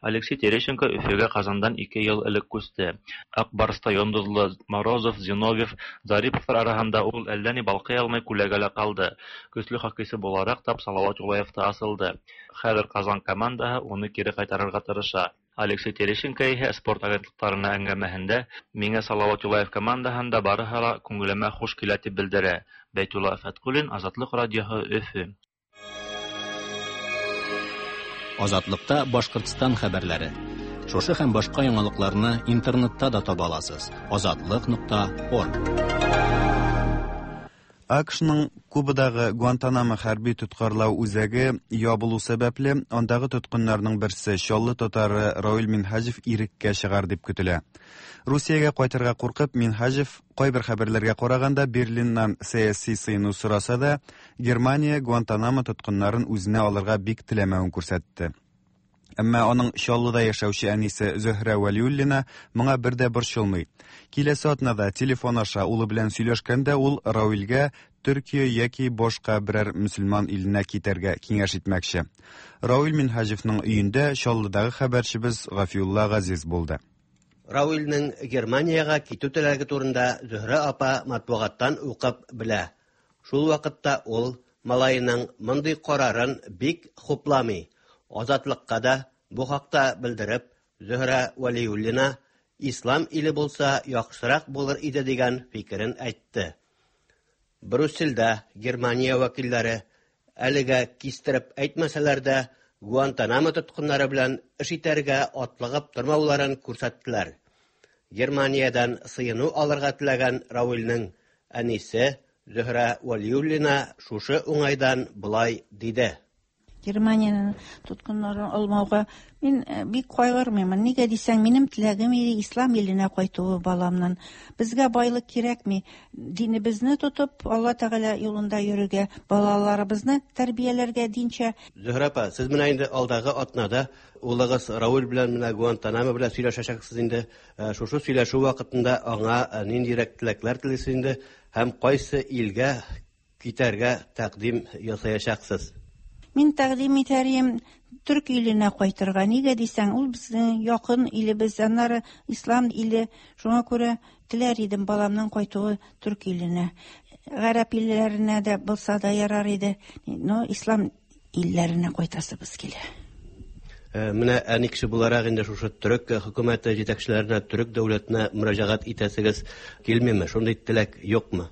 Алексей Терещенко Өфөгә Ҡазандан 2 йыл элек күсте. Аҡ Барста йондоҙло Морозов, Зиновьев, Зариповтар араһында ул әллә ни балҡый алмай күләгәлә ҡалды. Көслө хоккейсы булараҡ тап Салауат Юлаевта асылды. Хәҙер Ҡазан командаһы уны кире ҡайтарырға тырыша. Алексей Терещенко иһә спорт агентлыҡтарына әңгәмәһендә миңә Салауат Юлаев командаһында барыһы ла күңелемә хуш килә тип белдерә. Бәйтулла Фәтҡуллин, Азатлыҡ радиоһы, Өфө. Азатлыкта Башҡортостан хәбәрләре. Шушы һәм башҡа яңалыҡларны интернетта да таба аласыз. Азатлык.орг. АКШның Кубадағы Гуантанамо хәрби тоткарлау үзәге ябылу сәбәпле, андагы тоткыннарның берсе Чаллы татары Равил Минһаҗев иреккә чыгар дип көтелә. Русиягә кайтырга куркып, Минһаҗев кайбер хәбәрләргә караганда Берлиннан сәяси сыену сораса да, Германия Гуантанамо тоткыннарын үзенә алырга бик теләмәвен күрсәтте. Әмма аның Чаллыда яшәүче әнисе Зөһрә Вәлиуллина моңа бер дә борчылмый. Киләсе атнада телефон аша улы белән сөйләшкәндә ул Равилгә Төркия яки башка берәр мөселман иленә китәргә киңәш итмәкче. Равил Минһаҗевның өендә Чаллыдагы хәбәрчебез Гафиулла Газиз булды. Равилнең Германиягә китү теләге турында Зөһрә апа матбугаттан укып белә. Шул вакытта ул малаеның мондый карарын бик хупламый. Азатлыкка да бу хакта белдереп, Зөһрә Вәлиуллина ислам иле булса яхшырак булыр иде дигән фикерен әйтте. Брюссельдә Германия вәкилләре әлегә кистереп әйтмәсәләр дә, Гуантанамо тоткыннары белән эш итәргә атлыгып тормауларын күрсәттеләр. Германиядән сыену алырга теләгән Равилнең әнисе Зөһрә Вәлиуллина шушы уңайдан болай диде. Германиянең тоткыннарын алмауга мин бик кайгырмыйм. Нигә дисәң, минем теләгем иде ислам иленә кайтуы баламнан. Безгә байлык кирәкми. Динебезне тотып, Алла Тәгалә юлында йөрергә, балаларыбызны тәрбияләргә динчә. Зөһрә апа, сез менә инде алдагы атнада улыгыз Равил белән менә Гуантанамо белән сөйләшәчәксез инде. Шушы сөйләшү вакытында аңа ниндирәк теләкләр телисез инде һәм кайсы илгә китәргә тәкъдим ясаячаксыз? Мин тәкъдим итәрем төрк иленә кайтырга. Нигә дисәң, ул безнең якын илебез, аннары ислам иле. Шуңа күрә теләр идем баламның кайтуы төрк иленә. Гарәп илләренә дә булса да ярар иде. Но ислам илләренә кайтасыбыз килә. Менә әни кеше буларак инде шушы төрек хөкүмәте җитәкчеләренә, төрек дәүләтенә мөрәҗәгать итәсегез килмиме? Шундый теләк юкмы?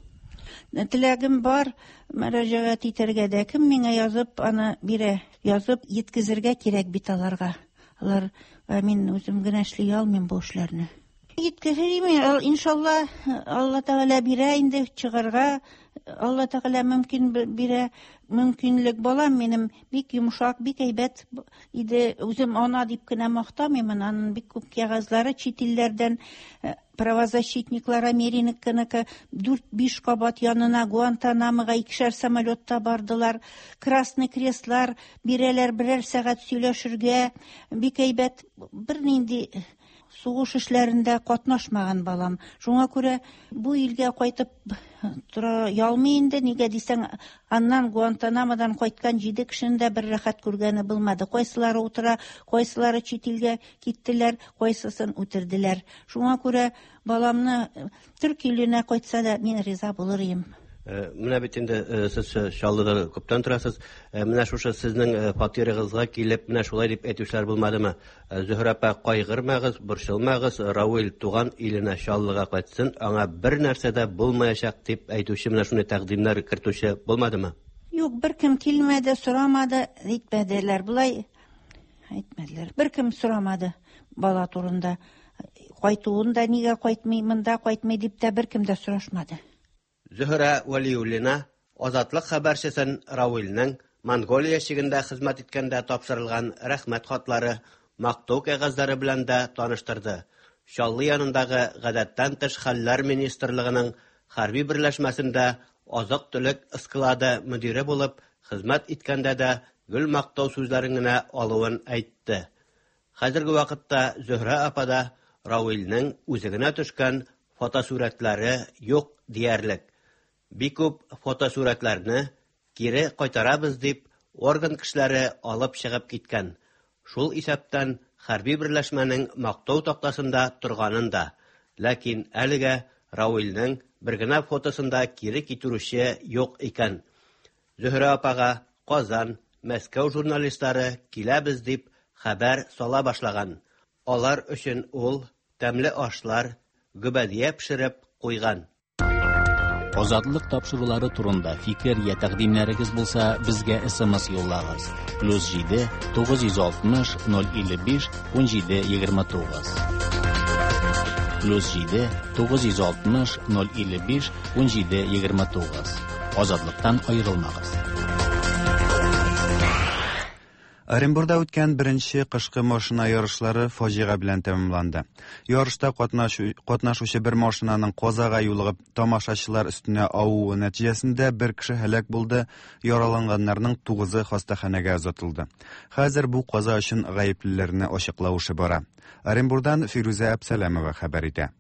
Теләгем бар, мөрәҗәгать итәргә дә. Кем миңа язып аны бирә? Язып еткезергә кирәк бит аларга. Алар, мин үзем генә эшли алмыйм бу эшләрне. Еткезермен, иншалла, Алла Тәгалә бирә инде чыгарга. Алла Тәгалә мөмкин бирә, мөмкинлек. Балам минем бик йомшак, бик әйбәт иде. Үзем ана дип кенә мактамыйм, аның бик күп кәгазьләре чит илләрдән, правозащитниклар Американыкы 4-5 кабат янына Гуантанамога икешәр самолетта бардылар. Красный Крестлар бирәләр берәр сәгать сөйләшергә. Бик әйбәт, бернинди сугыш эшләрендә катнашмаган балам. Шуңа күрә бу илгә кайтып тора ялмый инде. Нигә дисәң, аннан Гуантанамодан кайткан 7 кешенең дә бер рәхәт күргәне булмады. Кайсылары утыра, кайсылары чит илгә киттеләр, кайсысын үтерделәр. Шуңа күрә баламны төрк иленә кайтса да мин риза булыр идем. Менә бит инде сез Чаллыда күптән торасыз. Менә шушы сезнең фатирыгызга килеп, менә шулай дип әйтүчеләр булмадымы? Зөһрә апа, кайгырмагыз, борчылмагыз, Равил туган иленә Чаллыга кайтсын, аңа бер нәрсә дә булмаячак дип әйтүче, менә шундый тәкъдимнәр кертүче булмадымы? Юк, беркем килмәде, сорамады, әйтмәделәр. Болай әйтмәделәр. Беркем сорамады бала турында. Кайтуын да нигә кайтмый, монда кайтмый дип тә беркем дә сорашмады. Зөһрә Вәлиуллина Азатлык хәбәрчесен Равилнең Монголия чигендә хезмәт иткәндә тапшырылган рәхмәт хатлары, мактау кәгазьләре белән дә таныштырды. Чаллы янындагы Гадәттән тыш хәлләр министрлыгының хәрби берләшмәсендә азык-төлек склады мөдире булып хезмәт иткәндә дә гел мактау сүзләрен генә алуын әйтте. Хәзерге вакытта Зөһрә апада Равилнең үзе генә төшкән фотосурәтләре юк диярлек. Бик күп фотосурәтләрне кире кайтарабыз дип орган кешеләре алып чыгып киткән. Шул исәптән хәрби берләшмәнең мактау тактасында торганын да. Ләкин әлегә Равилнең бер генә фотосын да кире китерүче юк икән. Зөһрә апага Казан, Мәскәү журналистлары киләбез дип хәбәр сала башлаган. Алар өчен ул тәмле ашлар, гөбәдия пешереп куйган. Азатлык тапшырулары турында фикер я тәкъдимнәрегез булса, безгә SMS юллагыз. Плюс 7 960 055 17 29. Плюс 7 960 055 17 29. Азатлыктан аерылмагыз. Оренбурда үткән беренче кышкы машина ярышлары фаҗига белән тәмамланды. Ярышта катнашучы бер машинаның казага юлыгып тамашачылар өстенә авуы нәтиҗәсендә бер кеше һәлак булды, яраланганнарның тугызы хастаханәгә озатылды. Хәзер бу каза өчен гаеплеләрне ачыклау эше бара. Оренбурдан Фирүзә Әпсәләмова хәбәр итә.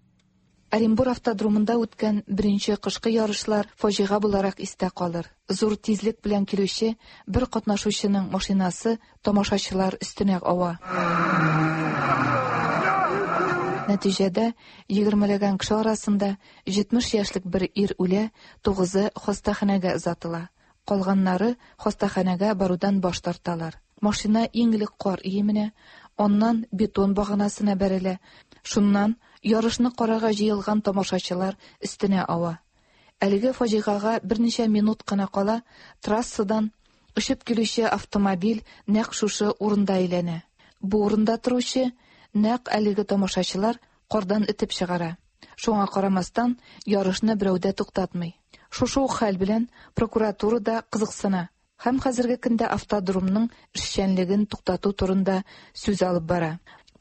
Оренбур автодромында үткән беренче кышкы ярышлар фаҗига буларак истә калыр. Зур тизлек белән килүче бер катнашучының машинасы тамашачылар өстенә ава. Нәтиҗәдә, егермеләгән кеше арасында 70 яшьлек бер ир үлә, тугызы хастаханәгә озатыла. Калганнары хастаханәгә барудан баш тарталар. Машина иң элек кар өеменә, аннан бетон баганасына бәрелә, шуннан ярышны карарга җыелган тамашачылар өстенә ава. Әлеге фаҗигагә берничә минут кына кала трассадан очып килүче автомобиль нәкъ шушы урында әйләнә. Бу урында торучы нәкъ әлеге тамашачылар кардан этеп чыгара. Шуңа карамастан, ярышны берәү дә туктатмый. Шушы ук хәл белән прокуратура да кызыксына һәм хәзерге көндә автодромның эшчәнлеген туктату турында сүз алып бара.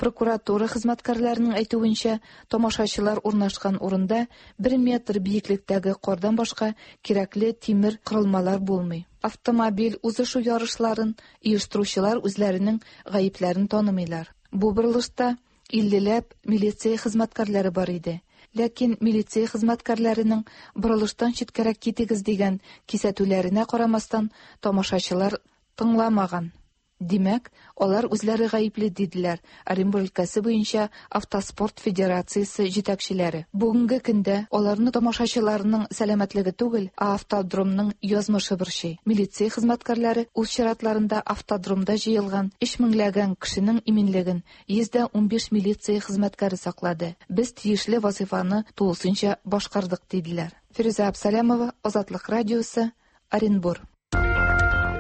Прокуратура хезмәткәрләренең әйтүенчә, тамашачылар урнашкан урында бер метр биеклектәге кардан башка кирәкле тимер корылмалар булмый. Автомобиль узышу ярышларын оештыручылар үзләренең гаепләрен танымыйлар. Бу борылышта иллеләп милиция хезмәткәрләре бар иде. Ләкин милиция хезмәткәрләренең борылыштан читкәрәк китегез дигән кисәтүләренә карамастан, тамашачылар тыңламаган. Димәк, алар үзләре гаепле, диделәр Оренбур өлкәсе буенча Автоспорт федерациясе җитәкчеләре. Бүгенге көндә аларны тамашачыларның сәламәтлеге түгел, ә автодромның язмышы борчый. Милиция хезмәткәрләре үз чиратларында автодромда җыелган өч меңләгән кешенең иминлеген 115 милиция хезмәткәре саклады. Без тиешле вазыйфаны тулысынча башкардык, диделәр. Фирүзә Абсалямова, Азатлык радиосы, Оренбур.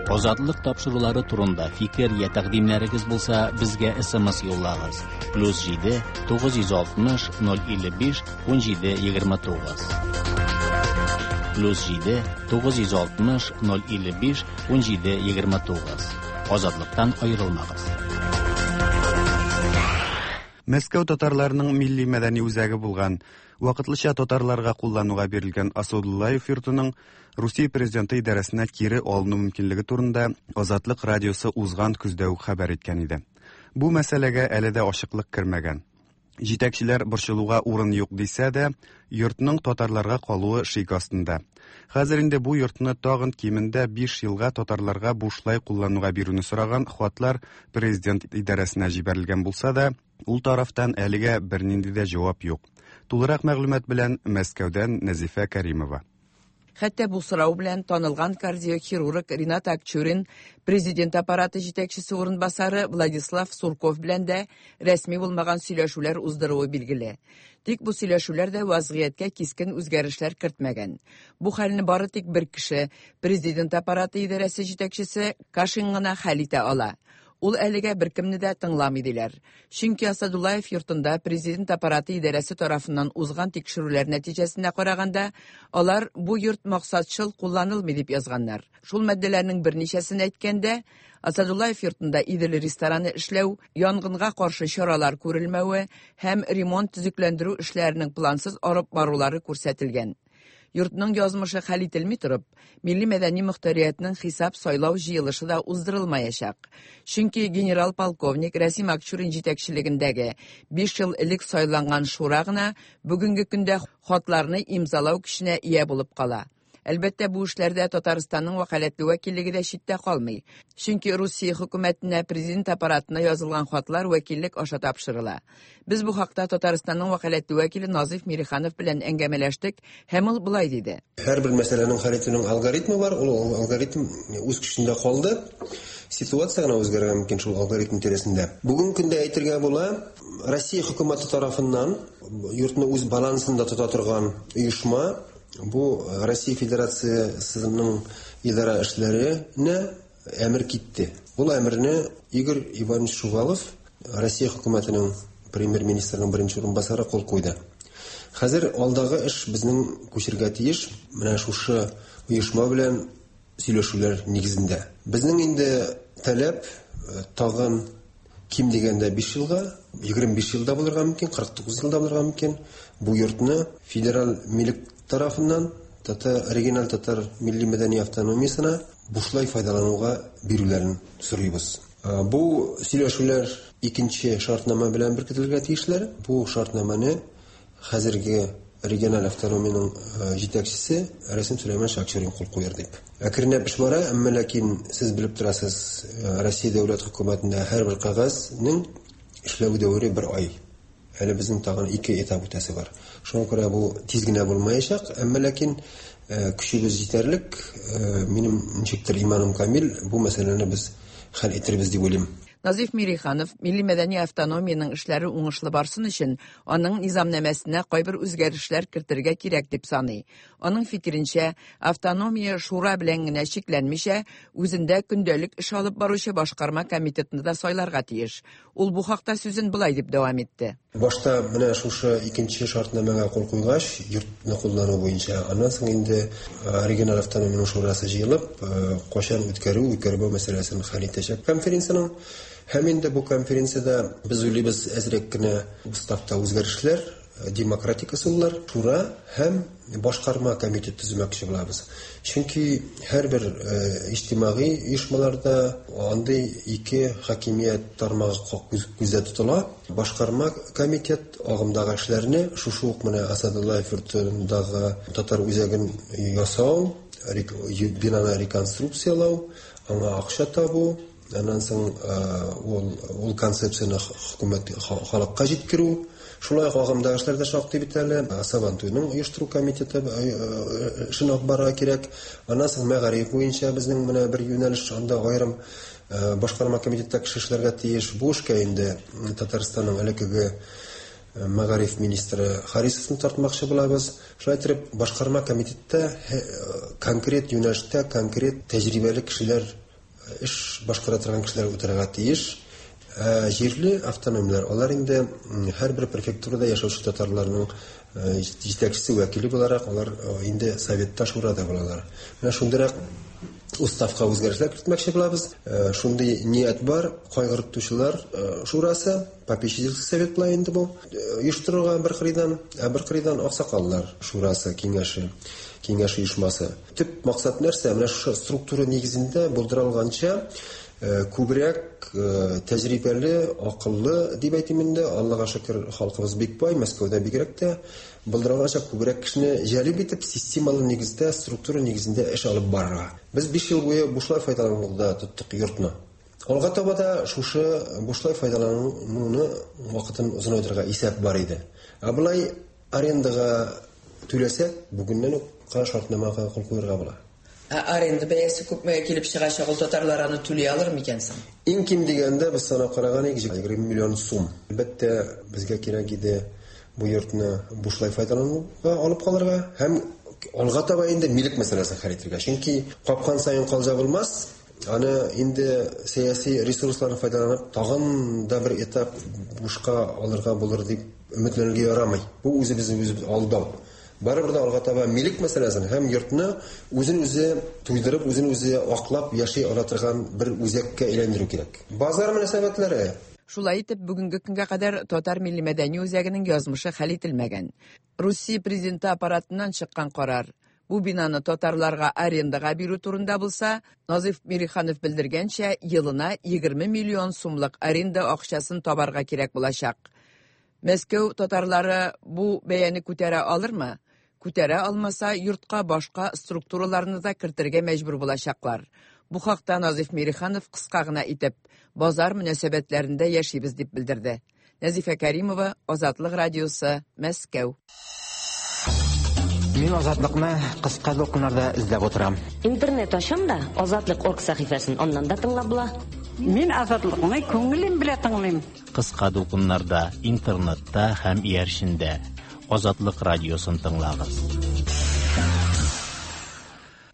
Азатлык тапшырулары турында фикер я тәкъдимнәрегез булса, безгә SMS юллагыз. Плюс 7 960 055 17 29. Плюс 7 960 055 17 29. Азатлыктан аерылмагыз. Мәскәү татарларының милли мәдәни үзәге булган, вакытлыча татарларга куллануга бирелгән Асадуллаев йортының Русия президенты идарәсенә кире алыну мөмкинлеге турында Азатлык радиосы узган көздә үк хәбәр иткән иде. Бу мәсьәләгә әле дә ачыклык кермәгән. Җитәкчеләр борчылуга урын юк дисә дә, йортның татарларга калуы шик астында. Хәзер инде бу йортны тагын кимендә 5 елга татарларга бушлай куллануга бирүне сораган хатлар президент идарәсенә җибәрелгән булса да, ул тарафтан әлегә бернинди дә җавап юк. Тулырак мәгълүмат белән Мәскәүдән Нәзифә Кәримова. Хәтта бу сорау белән танылган кардиохирург Ринат Акчурин, президент аппараты җитәкчесе урынбасары Владислав Сурков белән дә рәсми булмаган сөйләшүләр уздыруы билгеле. Тик бу сөйләшүләр дә вазгыятькә кискен үзгәрешләр кертмәгән. Бу хәлне бары тик бер кеше, президент аппараты идарәсе җитәкчесе Кашин гына хәл итә ала. Ул әлегә беркемне дә тыңламый диләр. Чөнки Асадуллаев йортында президент аппараты идарәсе тарафыннан узган тикшерүләр нәтиҗәсенә караганда, алар бу йорт максатчыл кулланылмый дип язганнар. Шул маддәләрнең берничәсен әйткәндә, Асадуллаев йортында Идел рестораны эшләү, янгынга каршы чаралар күрелмәве һәм ремонт-төзекләндерү эшләренең плансыз алып барулары күрсәтелгән. Йортның язмышы хәл ителми торып, милли-мәдәни мохтариятнең хисап-сайлау җыелышы да уздырылмаячак. Чөнки генерал-полковник Рәсим Акчурин җитәкчелегендәге 5 ел элек сайланган шура гына бүгенге көндә хатларны имзалау көченә ия булып кала. Әлбәттә, бу эшләрдә Татарстанның вәкаләтле вәкиллеге дә читтә калмый. Чөнки Русия хөкүмәтенә, президент аппаратына язылган хатлар вәкиллек аша тапшырыла. Без бу хакта Татарстанның вәкаләтле вәкиле Назыйф Мириханов белән әңгәмәләштек һәм ул болай диде. Һәрбер мәсьәләнең хәл итүнең алгоритмы бар, ул алгоритм үз көчендә калды. Ситуация гына үзгәрергә мөмкин шул алгоритм тирәсендә. Бүгенге көндә әйтергә була, Россия хөкүмәте тарафыннан йортны үз балансында тота торган оешма, бу Россия Федерациясенең идарә эшләренә әмер китте. Ул әмерне Игорь Иванович Шувалов, Россия хөкүмәтенең премьер-министрының беренче урынбасары кул куйды. Хәзер алдагы эш безнең күчергә тиеш менә шушы оешма белән сөйләшүләр нигезендә. Безнең инде таләп э, тагын ким дигәндә 5 елга, 25 елда булырга мөмкин, 49 елда булырга мөмкин. Бу йортны федераль милек тарафыннан татар региональ татар милли мәдәни автономиясенә бушлай файдалануга бирүләрен сорыйбыз. Бу сөйләшүләр икенче шартнама белән беркетелергә тиешләр. Бу шартнаманы хәзерге региональ автономиянең җитәкчесе Рәсим Сөләйманович Акчурин кул куяр дип. Әкренләп эш бара, әмма ләкин сез белеп торасыз, Россия дәүләт хөкүмәтендә һәрбер кәгазьнең эшләү дәвере бер ай. Әле безнең тагын ике этап үтәсе бар. Шуңа күрә бу тиз генә булмаячак, әмма ләкин көчебез җитәрлек. Минем ничектер иманым камил, бу мәсьәләне без хәл итербез дип уйлыйм. Назиф Мириханов милли-мәдәни автономиянең эшләре уңышлы барсын өчен аның низамнамәсенә кайбер үзгәрешләр кертергә кирәк дип саный. Аның фикеренчә, автономия шура белән генә чикләнмичә, үзендә көндәлек эш алып баручы башкарма комитетны да сайларга тиеш. Ул бу хакта сүзен болай дип дәвам итте. Башта менә шушы икенче шартнамәгә кул куйгач, йортны куллану буенча, аннан соң инде региональ автономиянең шурасы җыелып, кайчан үткәрү, үткәрмәү мәсьәләсен хәл итәчәк конференциянең. Һәм инде бу конференциядә без уйлыйбыз әзрәк кенә уставта үзгәрешләр, демократик ысуллар, шура һәм башкарма комитет төземәкче булабыз. Чөнки һәрбер иҗтимагый оешмаларда андый ике хакимият тармагы күздә тотыла. Башкарма комитет агымдагы эшләрне шушы ук менә Асадуллаев йортындагы татар үзәген ясау, бинаны реконструкцияләү, аңа акча табу, аннан соң ул ул концепцияне хөкүмәт халыкка җиткерү. Шулай ук агымдагы эшләр дә шактый бит әле. Сабантуйның оештыру комитеты эшен алып барырга кирәк. Аннан соң мәгариф буенча безнең менә бер юнәлеш, анда аерым башкарма комитетта кеше эшләргә тиеш. Бу эшкә инде Татарстанның элеккеге мәгариф министры Харисовны тартмакчы булабыз. Шулай итеп, башкарма комитетта конкрет юнәлештә конкрет тәҗрибәле кешеләр, эш башкара торган кешеләр утырырга тиеш. Җирле автономияләр, алар инде һәрбер префектурада яшәүче татарларның җитәкчесе, вәкиле буларак, алар инде советта, шурада булалар. Менә шундыйрак уставка үзгәрешләр кертмәкче булабыз. Шундый ният бар, кайгыртучылар шурасы, попечительский совет була инде бу, оештырырга бер кырыйдан, ә бер кырыйдан аксакаллар шурасы, киңәше, киңәш оешмасы. Төп максат нәрсә? Менә шушы структура нигезендә булдыра алганча күбрәк тәҗрибәле, акыллы дип әйтим инде, Аллага шөкер, халкыбыз бик бай, Мәскәүдә бигрәк тә, булдыра алганча күбрәк кешене җәлеп итеп, системалы нигездә, структура нигезендә эш алып барырга. Без 5 ел буе бушлай файдалануда тоттык йортны. Алга таба да шушы бушлай файдалануны вакытын озынайтырга исәп бар иде. Ә болай арендага түләсәк, бүгеннән үк йортка шартнамага кул куярга була. Ә аренда бәясе күпмегә килеп чыгачак, ул татарлар аны түли алыр микән соң? Иң ким дигәндә без санап караган идек, 20 миллион сум. Әлбәттә, безгә кирәк иде бу йортны бушлай файдалануга алып калырга һәм алга таба инде милек мәсьәләсен хәл итәргә. Чөнки капкан саен калҗа булмас, аны инде сәяси ресурсларны файдаланып тагын да бер этап бушка алырга булыр дип өметләнергә ярамый. Бу үзебезне үзебез алдау. Барыбер дә алга таба милек мәсьәләсен һәм йортны үзен үзе туйдырып, үзен үзе аклап яши ала торган бер үзәккә әйләндерү кирәк. Базар мөнәсәбәтләре. Шулай итеп, бүгенге көнгә кадәр Татар милли мәдәни үзәгенең язмышы хәл ителмәгән. Русия президенты аппаратыннан чыккан карар бу бинаны татарларга арендага бирү турында булса, Назиф Мириханов белдергәнчә, елына 20 миллион сумлык аренда акчасын табарга кирәк булачак. Мәскәү татарлары бу бәяне күтәрә алырмы? Күтәрә алмаса, йортка башка структураларны да кертергә мәҗбүр булачаклар. Бу хакта Назиф Мириханов кыска гына итеп, базар мөнәсәбәтләрендә яшибез дип белдерде. Нәзифә Кәримова, Азатлык радиосы, Мәскәү. Мин Азатлыкны кыска дулкыннарда эзләп утырам. Интернет ачам да, Азатлык орг сәхифәсен аннан да тыңлап була. Мин Азатлыкны күңелем белән тыңлыйм. Кыска дулкыннарда, интернетта һәм иярчендә. Азатлык радиосын тыңлагыз.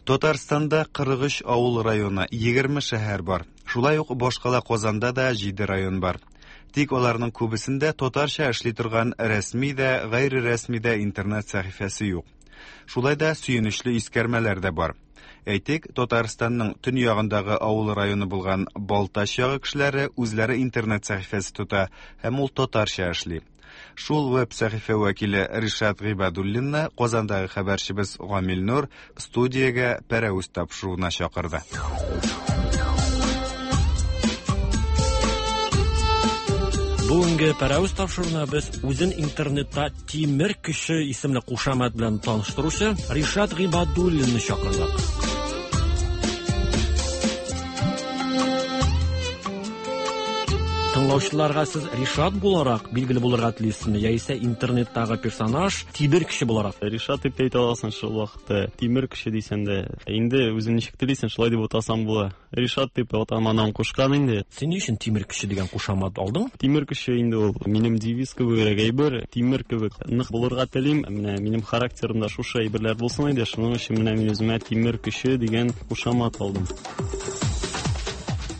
Татарстанда 43 авыл районы, 20 шәһәр бар. Шулай ук башкала Казанда да 7 район бар. Тик аларның күбесендә татарча эшли торган рәсми дә, гайре рәсми дә интернет сәхифәсе юк. Шулай да сөенечле искәрмәләр дә бар. Әйтик, Татарстанның төньягындагы авыл районы булган Балтач ягы кешеләре үзләре интернет сәхифәсе тота һәм ул татарча эшли. Шул веб сәхифә вәкиле Ришат Гыйбадуллинны Казандагы хәбәрчебез Гамил Нур студиягә пәрәвез тапшыруына чакырды. Бүгенге пәрәвез тапшыруына без үзен интернетта Тимер көче исемле кушамат белән таныштыручы Ришат Гыйбадуллинны чакырдык. Тыңлаучыларга сез Ришат буларак билгеле булырга телисезме, яисә интернеттагы персонаж Тимер кеше буларак? Ришат дип тә әйтә аласың шул вакытта. Тимер кеше дисәң дә, инде үзең ничек телисең, шулай дип атасаң була. Ришат дип атам-анам кушкан инде. Син ни өчен Тимер кеше дигән кушамат алдың? Тимер кеше инде ул минем девиз кебегрәк әйбер. Тимер кебек нык булырга телим. Менә минем характерымда шушы әйберләр булсын иде. Шуның өчен менә мин үземә Тимер кеше дигән кушамат алдым.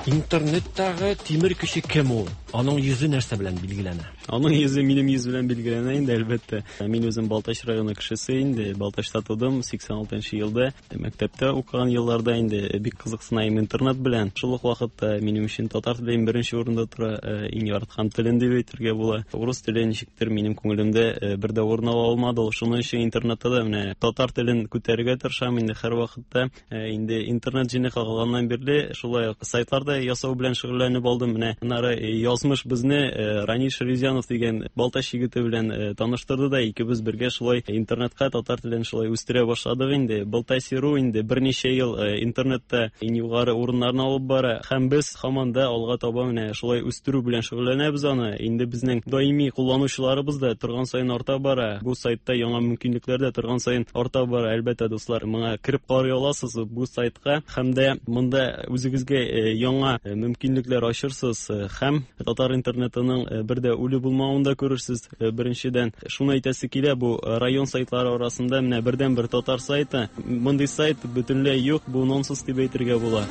Интернеттагы Тимер кеше кем ул? Аның йөзе нәрсә белән билгеләнә? Аның йөзе минем йөз белән билгеләнә инде, әлбәттә. Мин үзем Балтач районы кешесе инде. Балтачта тудым, 86 елда. Мәктәптә укыган елларда инде бик кызыксына идем интернет белән. Шул ук вакытта минем өчен татар теле иң беренче урында тора, иң яраткан телем дип әйтергә була. Урыс теле ничектер минем күңелемдә бер дә урын ала алмады. Шуның өчен интернетта да менә татар телен күтәрергә тырышам инде һәрвакытта. Инде интернет җене кагылганнан бирле шулай ук сайтлар да ясау белән шөгыльләнеп алдым. Менә аннары язмыш безне Ранил Шәрифзянов дигән Балтач егете белән таныштырды да, икебез бергә шулай интернетка татар телен шулай үстерә башладык инде. Балтасиру инде берничә ел интернетта иң югары урыннарны алып бара һәм без һаман да алга таба менә шулай үстерү белән шөгыльләнәбез аны. Инде безнең даими кулланучыларыбыз да торган саен арта бара. Бу сайтта яңа мөмкинлекләр дә торган саен арта бара. Әлбәттә, дуслар, моңа кереп карый аласыз бу сайтка һәм дә монда үзегезгә яңа мөмкинлекләр ачырсыз һәм татар интернетының бер дә үле булмавын да күрерсез. Беренчедән, шуны әйтәсе килә, бу район сайтлары арасында менә бердәнбер татар сайты. Мондый сайт бөтенләй юк, бу нонсенс дип әйтергә була.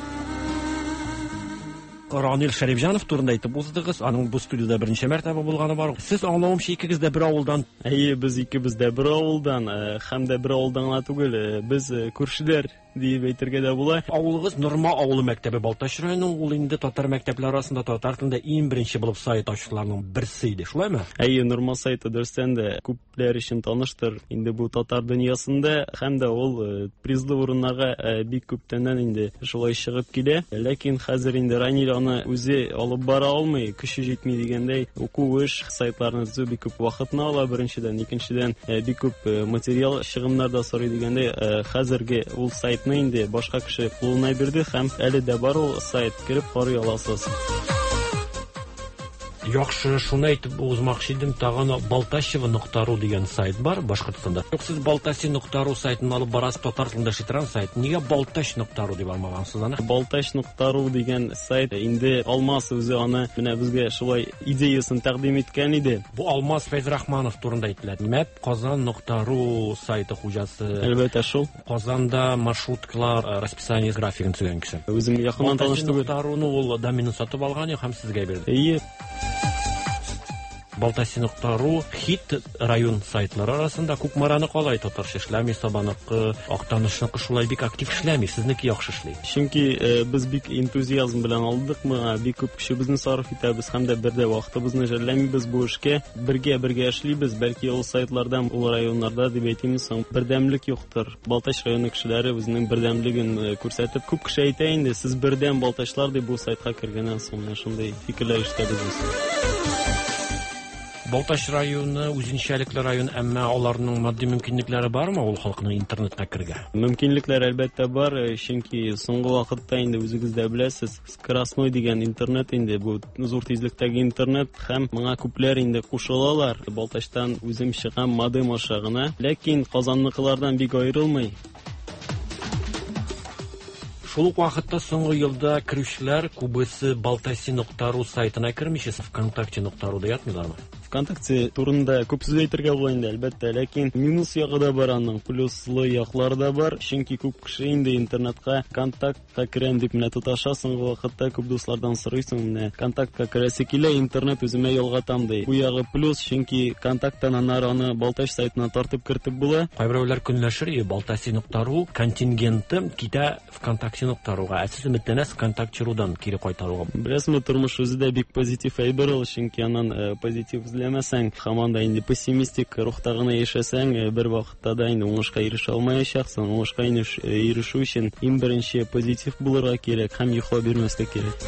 Ранил Шәрифҗанов турында әйтеп уздыгыз. Аның бу студиядә берничә мәртәбә булганы бар. Сез аңлавымча икегез дә бер авылдан. Әйе, без икебез дә бер авылдан, һәм дә бер авылдан гына түгел, без күршеләр диеп әйтергә дә була. Авылыгыз Норма авылы мәктәбе Балтач районы, ул инде татар мәктәпләре арасында татар телендә иң беренче булып сайт ачучыларның берсе иде, шулаймы? Әйе, Норма сайты дөрестән дә күпләр өчен таныштыр. Инде бу татар дөньясында һәм дә ул призлы урыннарга бик күптәннән инде шулай чыгып килә. Ләкин хәзер инде Ранил аны үзе алып бара алмый, көче җитми дигәндәй, уку эш сайтларны төзү бик күп вакытны ала, беренчедән, икенчедән, бик күп материал чыгымнар да сорый дигәндәй, хәзерге ул сайтны инде башка кеше кулына бирде һәм әле дә бар ул сайт, кереп карый аласыз. Яхшы, шуны әйтеп узмакчы идем, тагын Балтачево.ру дигән сайт бар Башкортстанда. Юк, сез Балтаси.ру сайтын алып барасыз, татар телендә эшли торган сайт. Нигә Балтач.ру дип алмагансыз аны? Балтач.ру дигән сайт инде Алмаз үзе аны менә безгә шулай идеясын тәкъдим иткән иде. Бу Алмаз Фәйзрахманов турында әйтелә. Мәп Казан.ру сайты хуҗасы. Әлбәттә, шул. Казанда маршруткалар расписание графигын төзегән кеше. Үзем якыннан таныш түгел. Балтаси.руны ул доменын сатып алган һәм сезгә бирде. Әйе. Балтаси.ру хит район сайтлары арасында Кукмараны калай татарча эшләми, Сабаныкы, Актанышныкы шулай бик актив эшләми, сезнеке яхшы эшли. Чөнки без бик энтузиазм белән алдык моңа, бик күп көчебезне сарыф итәбез һәм дә бер дә вакытыбызны жәлләмибез бу эшкә. Бергә-бергә эшлибез, бәлки ул сайтларда, ул районнарда дип әйтимме соң, бердәмлек юктыр. Балтач районы кешеләре үзенең бердәмлеген күрсәтеп, күп кеше әйтә инде, сез бердәм балтачлар дип бу сайтка кергәннән соң менә шундый фикерләр ишетәбез без. Балтач районы үзенчәлекле район, әмма аларның матди мөмкинлекләре бармы ул халыкның интернетка керергә? Мөмкинлекләр әлбәттә бар, чөнки соңгы вакытта инде үзегез дә беләсез, скоростной дигән интернет инде бу зур тизлектәге интернет һәм моңа күпләр инде кушылалар. Балтачтан үзем чыгам модем аша гына, ләкин Казанныкылардан бик аерылмый. Шул ук вакытта соңгы елда керүчеләр күбесе Балтаси.ру сайтына кермичә, ВКонтакте.руда ятмыйлармы? ВКонтакте турында күп сүз әйтергә була инде, әлбәттә, ләкин минус ягы да бар аның, плюслы яклары да бар. Чөнки күп кеше инде интернетка контактка керәм дип менә тоташа, соңгы вакытта күп дуслардан сорыйсың, менә контактка керәсе килә, интернет үземә ялгатам ди. Бу ягы плюс, чөнки контакттан аннары аны Балтач сайтына тартып кертеп була. Кайберәүләр көнләшер, Балтаси.ру контингенты китә ВКонтакте.руга. Ә сез өметләнәсез ВКонтакте.рудан кире кайтаруга? Беләсезме, тормыш үзе дә бик позитив әйбер ул, чөнки аннан позитив эзләмәсәң, һаман да инде пессимистик рухта гына яшәсәң, бер вакытта да инде уңышка ирешә алмаячаксың. Уңышка ирешү өчен иң беренче позитив булырга кирәк һәм йоклап бирмәскә кирәк.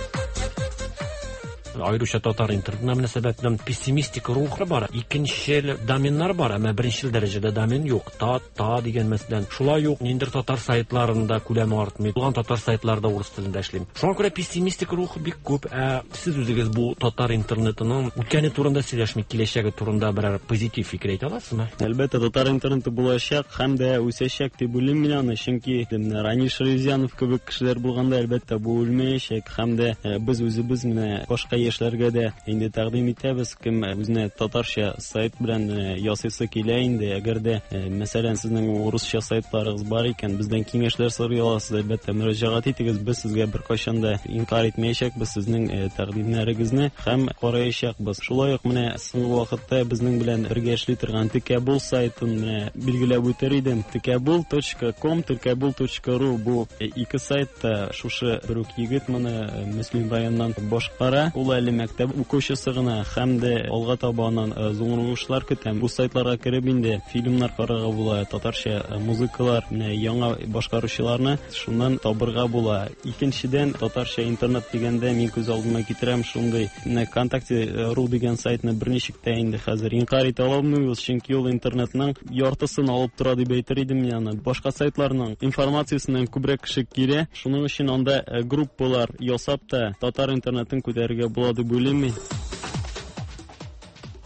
Аеруча татар интернетына мөнәсәбәтле пессимистик рух бар. Икенчел доменнар бар, әмма беренчел дәрәҗәдә домен юк. Та, та дигән мәсәлән. Шулай ук ниндидер татар сайтларында күләме артмый. Булган татар сайтларында урыс телендә эшлим. Шуңа күрә пессимистик рух бик күп. Ә сез үзегез бу татар интернетының үткәне турында сөйләшми, киләчәге турында берәр позитив фикер әйтә аласызмы? Әлбәттә, татар интернеты булачак һәм дә үсәчәк дип уйлыйм мин аны, чөнки менә Ранил Шәрифзянов кебек кешеләр булганда, әлбәттә, бу үлмәячәк һәм дә без үзебез менә башка яшьләргә дә инде тәкъдим итәбез, кем үзенә татарча сайт белән ясыйсы килә инде, әгәр дә, мәсәлән, сезнең урысча сайтларыгыз бар икән, бездән киңәшләр сорый аласыз, әлбәттә, мөрәҗәгать итегез, без сезгә беркайчан да инкарь итмәячәкбез сезнең тәкъдимнәрегезне һәм караячакбыз. Шулай ук менә соңгы вакытта безнең белән бергә эшли торган Текәбул сайтын менә билгеләп үтер идем. Текәбул.ком, текәбул.ру бу ике сайтта шушы бер үк егет моны Мөслим районыннан башкара. Ул әле мәктәп укучысы гына һәм дә алга таба аннан зур уңышлар көтәм. Бу сайтларга кереп инде фильмнар карарга була, татарча музыкалар, менә яңа башкаручыларны шуннан табырга була. Икенчедән, татарча интернет дигәндә мин күз алдыма китерәм шундый менә ВКонтакте.ру дигән сайтны берничек тә инде хәзер инкарь итә алмыйбыз, чөнки ул интернетның яртысын алып тора дип әйтер идем мин аны. Башка сайтларның информациясеннән күбрәк кеше килә. Шуның өчен анда группалар ясап та татар интернетын күтәрергә була дип уйлыйм мин.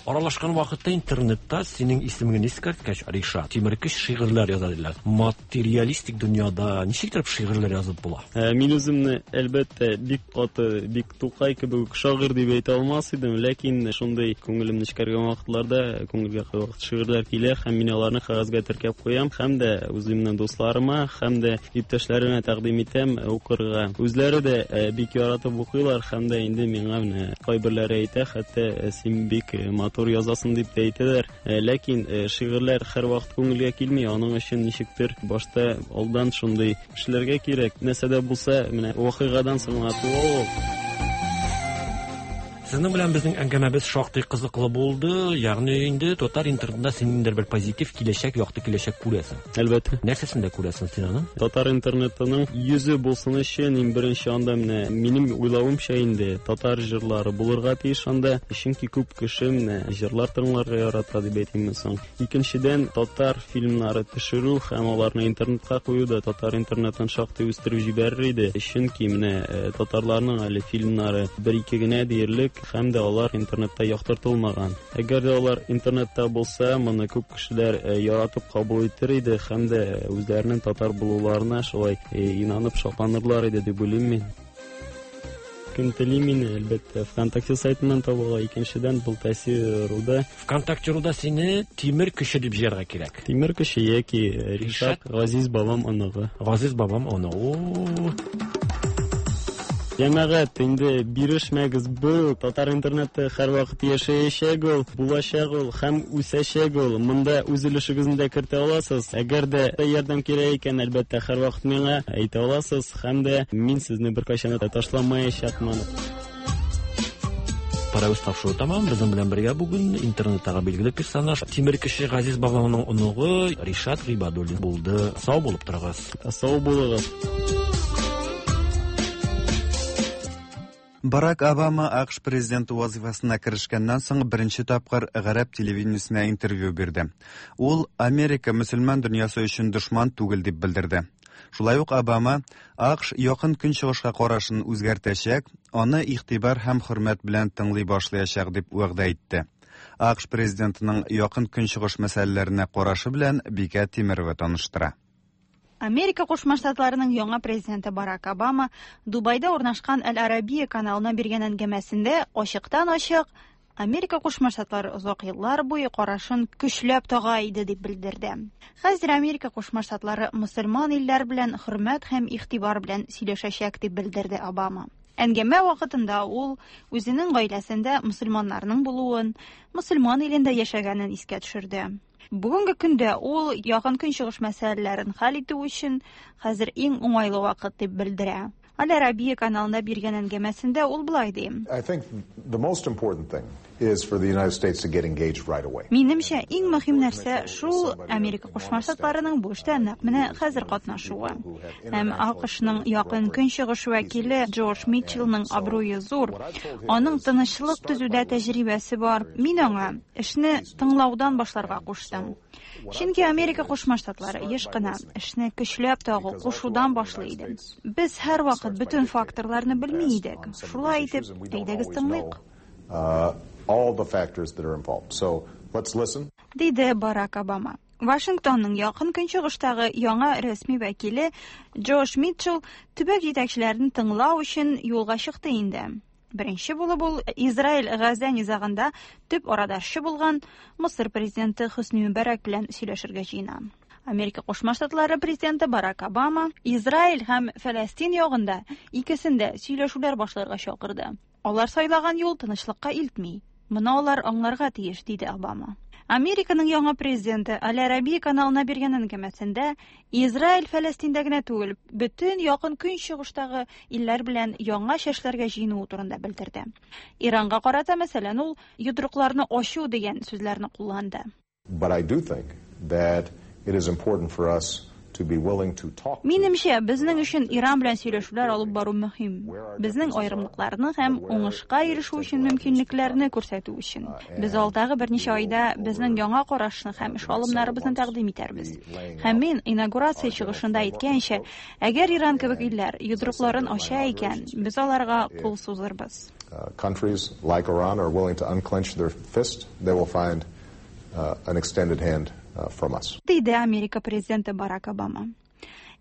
Аралашкан вакытта интернетта синең исемеңне искәрткәч, Ришат, тимеркеш шигырьләр яза диләр. Материалистик дөньяда ничек итеп шигырьләр язып була? Мин үземне, әлбәттә, бик каты, бик Тукай кебек үк шагыйрь дип әйтә алмас идем, ләкин шундый күңелем нечкәргән вакытларда күңелгә кайвакыт шигырьләр килә һәм мин аларны кәгазьгә теркәп куям һәм дә үземнең дусларыма һәм дә иптәшләремә тәкъдим итәм укырга. Үзләре дә бик яратып укыйлар һәм дә инде миңа менә кайберләре әйтә, хәтта син бик матур язасың дип тә әйтәләр. Ләкин шигырьләр һәрвакыт күңелгә килми, аның өчен ничектер башта алдан шундый эшләргә кирәк. Нәрсә дә булса, менә вакыйгадан соң гына туа ул. Сезнең белән безнең әңгәмәбез шактый кызыклы булды. Ягъни инде татар интернетында син ниндидер бер позитив киләчәк, якты киләчәк күрәсең. Әлбәттә. Нәрсәсендә күрәсең син аны? Татар интернетының йөзе булсын өчен иң беренче анда менә минем уйлавымча инде татар җырлары булырга тиеш анда. Чөнки күп кеше менә җырлар тыңларга ярата дип әйтимме соң. Икенчедән, татар фильмнары төшерү һәм аларны интернетка кую да татар интернетын шактый үстереп җибәрер иде. Чөнки менә татарларның әле фильмнары бер-ике генә диярлек. кирәк, һәм дә алар интернетта яктыртылмаган. Әгәр дә алар интернетта булса, моны күп кешеләр яратып кабул итер иде һәм дә үзләренең татар булуларына шулай инанып шатланырлар иде дип уйлыйм мин. Кем тели мине, әлбәттә, ВКонтакте сайтыннан таба ала. Икенчедән, был Руда. ВКонтакте Руда сине Тимер көче дип җыярга кирәк. Тимер көче яки Ришат Газиз бабам оныгы. Газиз бабам оныгы. Җәмәгать, инде бирешмәгез, бу татар интернеты һәрвакыт яшәячәк ул, булачак ул һәм үсәчәк ул. Монда үз өлешегезне дә кертә аласыз. Әгәр дә ярдәм кирәк икән, әлбәттә, һәрвакыт миңа әйтә аласыз һәм дә мин сезне беркайчан да ташламаячакмын. Парәүз тапшыру тәмам. Безнең белән бергә бүген интернеттагы билгеле персонаж Тимер кеше Газиз бабамның оныгы Ришат Гыйбадуллин булды. Сау булып торыгыз. Сау булыгыз. Барак Обама АКШ президенты вазифасына керешкәннән соң беренче тапкыр гарәп телевидениесенә интервью бирде. Ул Америка мөселман дөньясы өчен дошман түгел дип белдерде. Шулай ук Обама АКШ якын көнчыгышка карашын үзгәртәчәк, аны игътибар һәм хөрмәт белән тыңлый башлаячак дип вәгъдә итте. АКШ президентының якын көнчыгыш мәсьәләләренә карашы белән Бикә Тимерова таныштыра. Америка Кушма Штатларының яңа президенты Барак Обама Дубайда урнашкан Әл-Арабия каналына биргән әңгәмәсендә ачыктан-ачык Америка Кушма Штатлары озак еллар буе карашын көчләп тага иде дип белдерде. Хәзер Америка Кушма Штатлары мөселман илләр белән хөрмәт һәм игътибар белән сөйләшәчәк дип белдерде Обама. Әңгәмә вакытында ул үзенең гаиләсендә мөселманнарның булуын, мөселман илендә яшәгәнен искә төшерде. Бүгенге көндә ул якын көнчыгыш мәсьәләләрен хәл итү өчен хәзер иң уңайлы вакыт дип белдерә. Аль-Арабия каналында биргән әңгәмәсендә ул болай ди. Минемчә, иң мөһим нәрсә шул Америка Кушма Штатларының бу эштә нәкъ менә хәзер катнашуы. Һәм АКШның якын көнчыгыш вәкиле Джордж Митчеллның абруе зур. Аның тынычлык төзүдә тәҗрибәсе бар. Мин аңа эшне тыңлаудан башларга куштым. Чөнки Америка Кушма Штатлары еш кына эшне көчләп тагу, кушудан башлый иде. Без һәрвакыт бөтен факторларны белми идек. Шулай итеп, әйдәгез тыңлыйк. Диде Барак Обама. Вашингтонның якын көнчыгыштагы яңа рәсми вәкиле Джош Митчелл төбәк җитәкчеләрен тыңлау өчен юлга чыкты инде. Беренче булып ул Израиль Газа низагында төп арадашчы булган Мысыр президенты Хөсни Мөбәрәк белән сөйләшергә җыена. Америка Кушма Штатлары президенты Барак Обама Израиль һәм Фәләстин ягында икесендә сөйләшүләр башларга чакырды. Алар сайлаган юл тынычлыкка илтми. Моны алар аңларга тиеш, диде Обама. Американың яңа президенты Аль-Арабия каналына биргән әңгәмәсендә Израиль Фәләстиндә генә түгел, бөтен якын көнчыгыштагы илләр белән яңа чәшләргә җыенуы турында белдерде. Иранга карата, мәсәлән, ул йодрыкларны ачу дигән сүзләрне кулланды. But I do think that it is important for us to be willing to talk. Минемчә, безнең өчен Иран белән сөйләшүләр алып бару мөһим. Безнең аерымлыкларны һәм уңышка ирешү өчен мөмкинлекләрне күрсәтү өчен. Без алдагы берничә айда безнең яңа карашны һәм эш алымнарыбызны тәкъдим итәрбез. Һәм мин инаугурация чыгышында әйткәнчә, әгәр Иран кебек илләр йодрыкларын ача икән, без аларга кул сузырбыз. Countries like Iran are willing to unclench their fist, they will find an extended hand from us. Диде Америка президенты Барак Обама.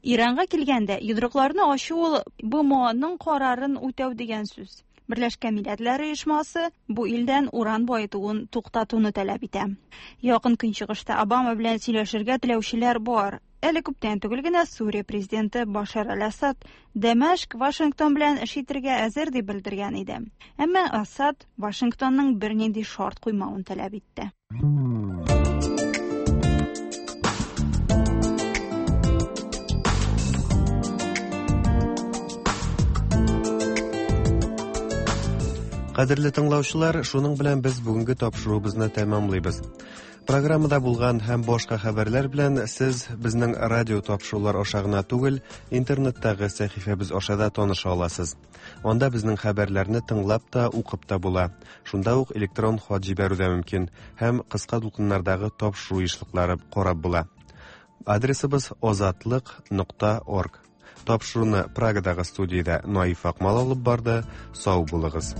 Иранга килгәндә, йодрыкларны ачу ул БМОның карарын үтәү дигән сүз. Берләшкән Милләтләр Оешмасы бу илдән уран баетуын туктатуны таләп итә. Якын көнчыгышта Обама белән сөйләшергә теләүчеләр бар. Әле күптән түгел генә Сүрия президенты Башар аль-Асад Дәмәшк Вашингтон белән эш итергә әзер дип белдергән иде. Әмма Асад Вашингтонның бернинди шарт куймавын таләп итте. Кадерле тыңлаучылар, шуның белән без бүгенге тапшыруыбызны тәмамлыйбыз. Программада булган һәм башка хәбәрләр белән сез безнең радио тапшырулар аша гына түгел, интернеттагы сәхифәбез аша да таныша аласыз. Анда безнең хәбәрләрне тыңлап та, укып та була. Шунда ук электрон хат җибәрү дә мөмкин һәм кыска дулкыннардагы тапшыру ешлыклары карап була. Адресыбыз озатлык.орг. Тапшыруны Прагадагы студиядә Наиф Акмал алып барды. Сау булыгыз.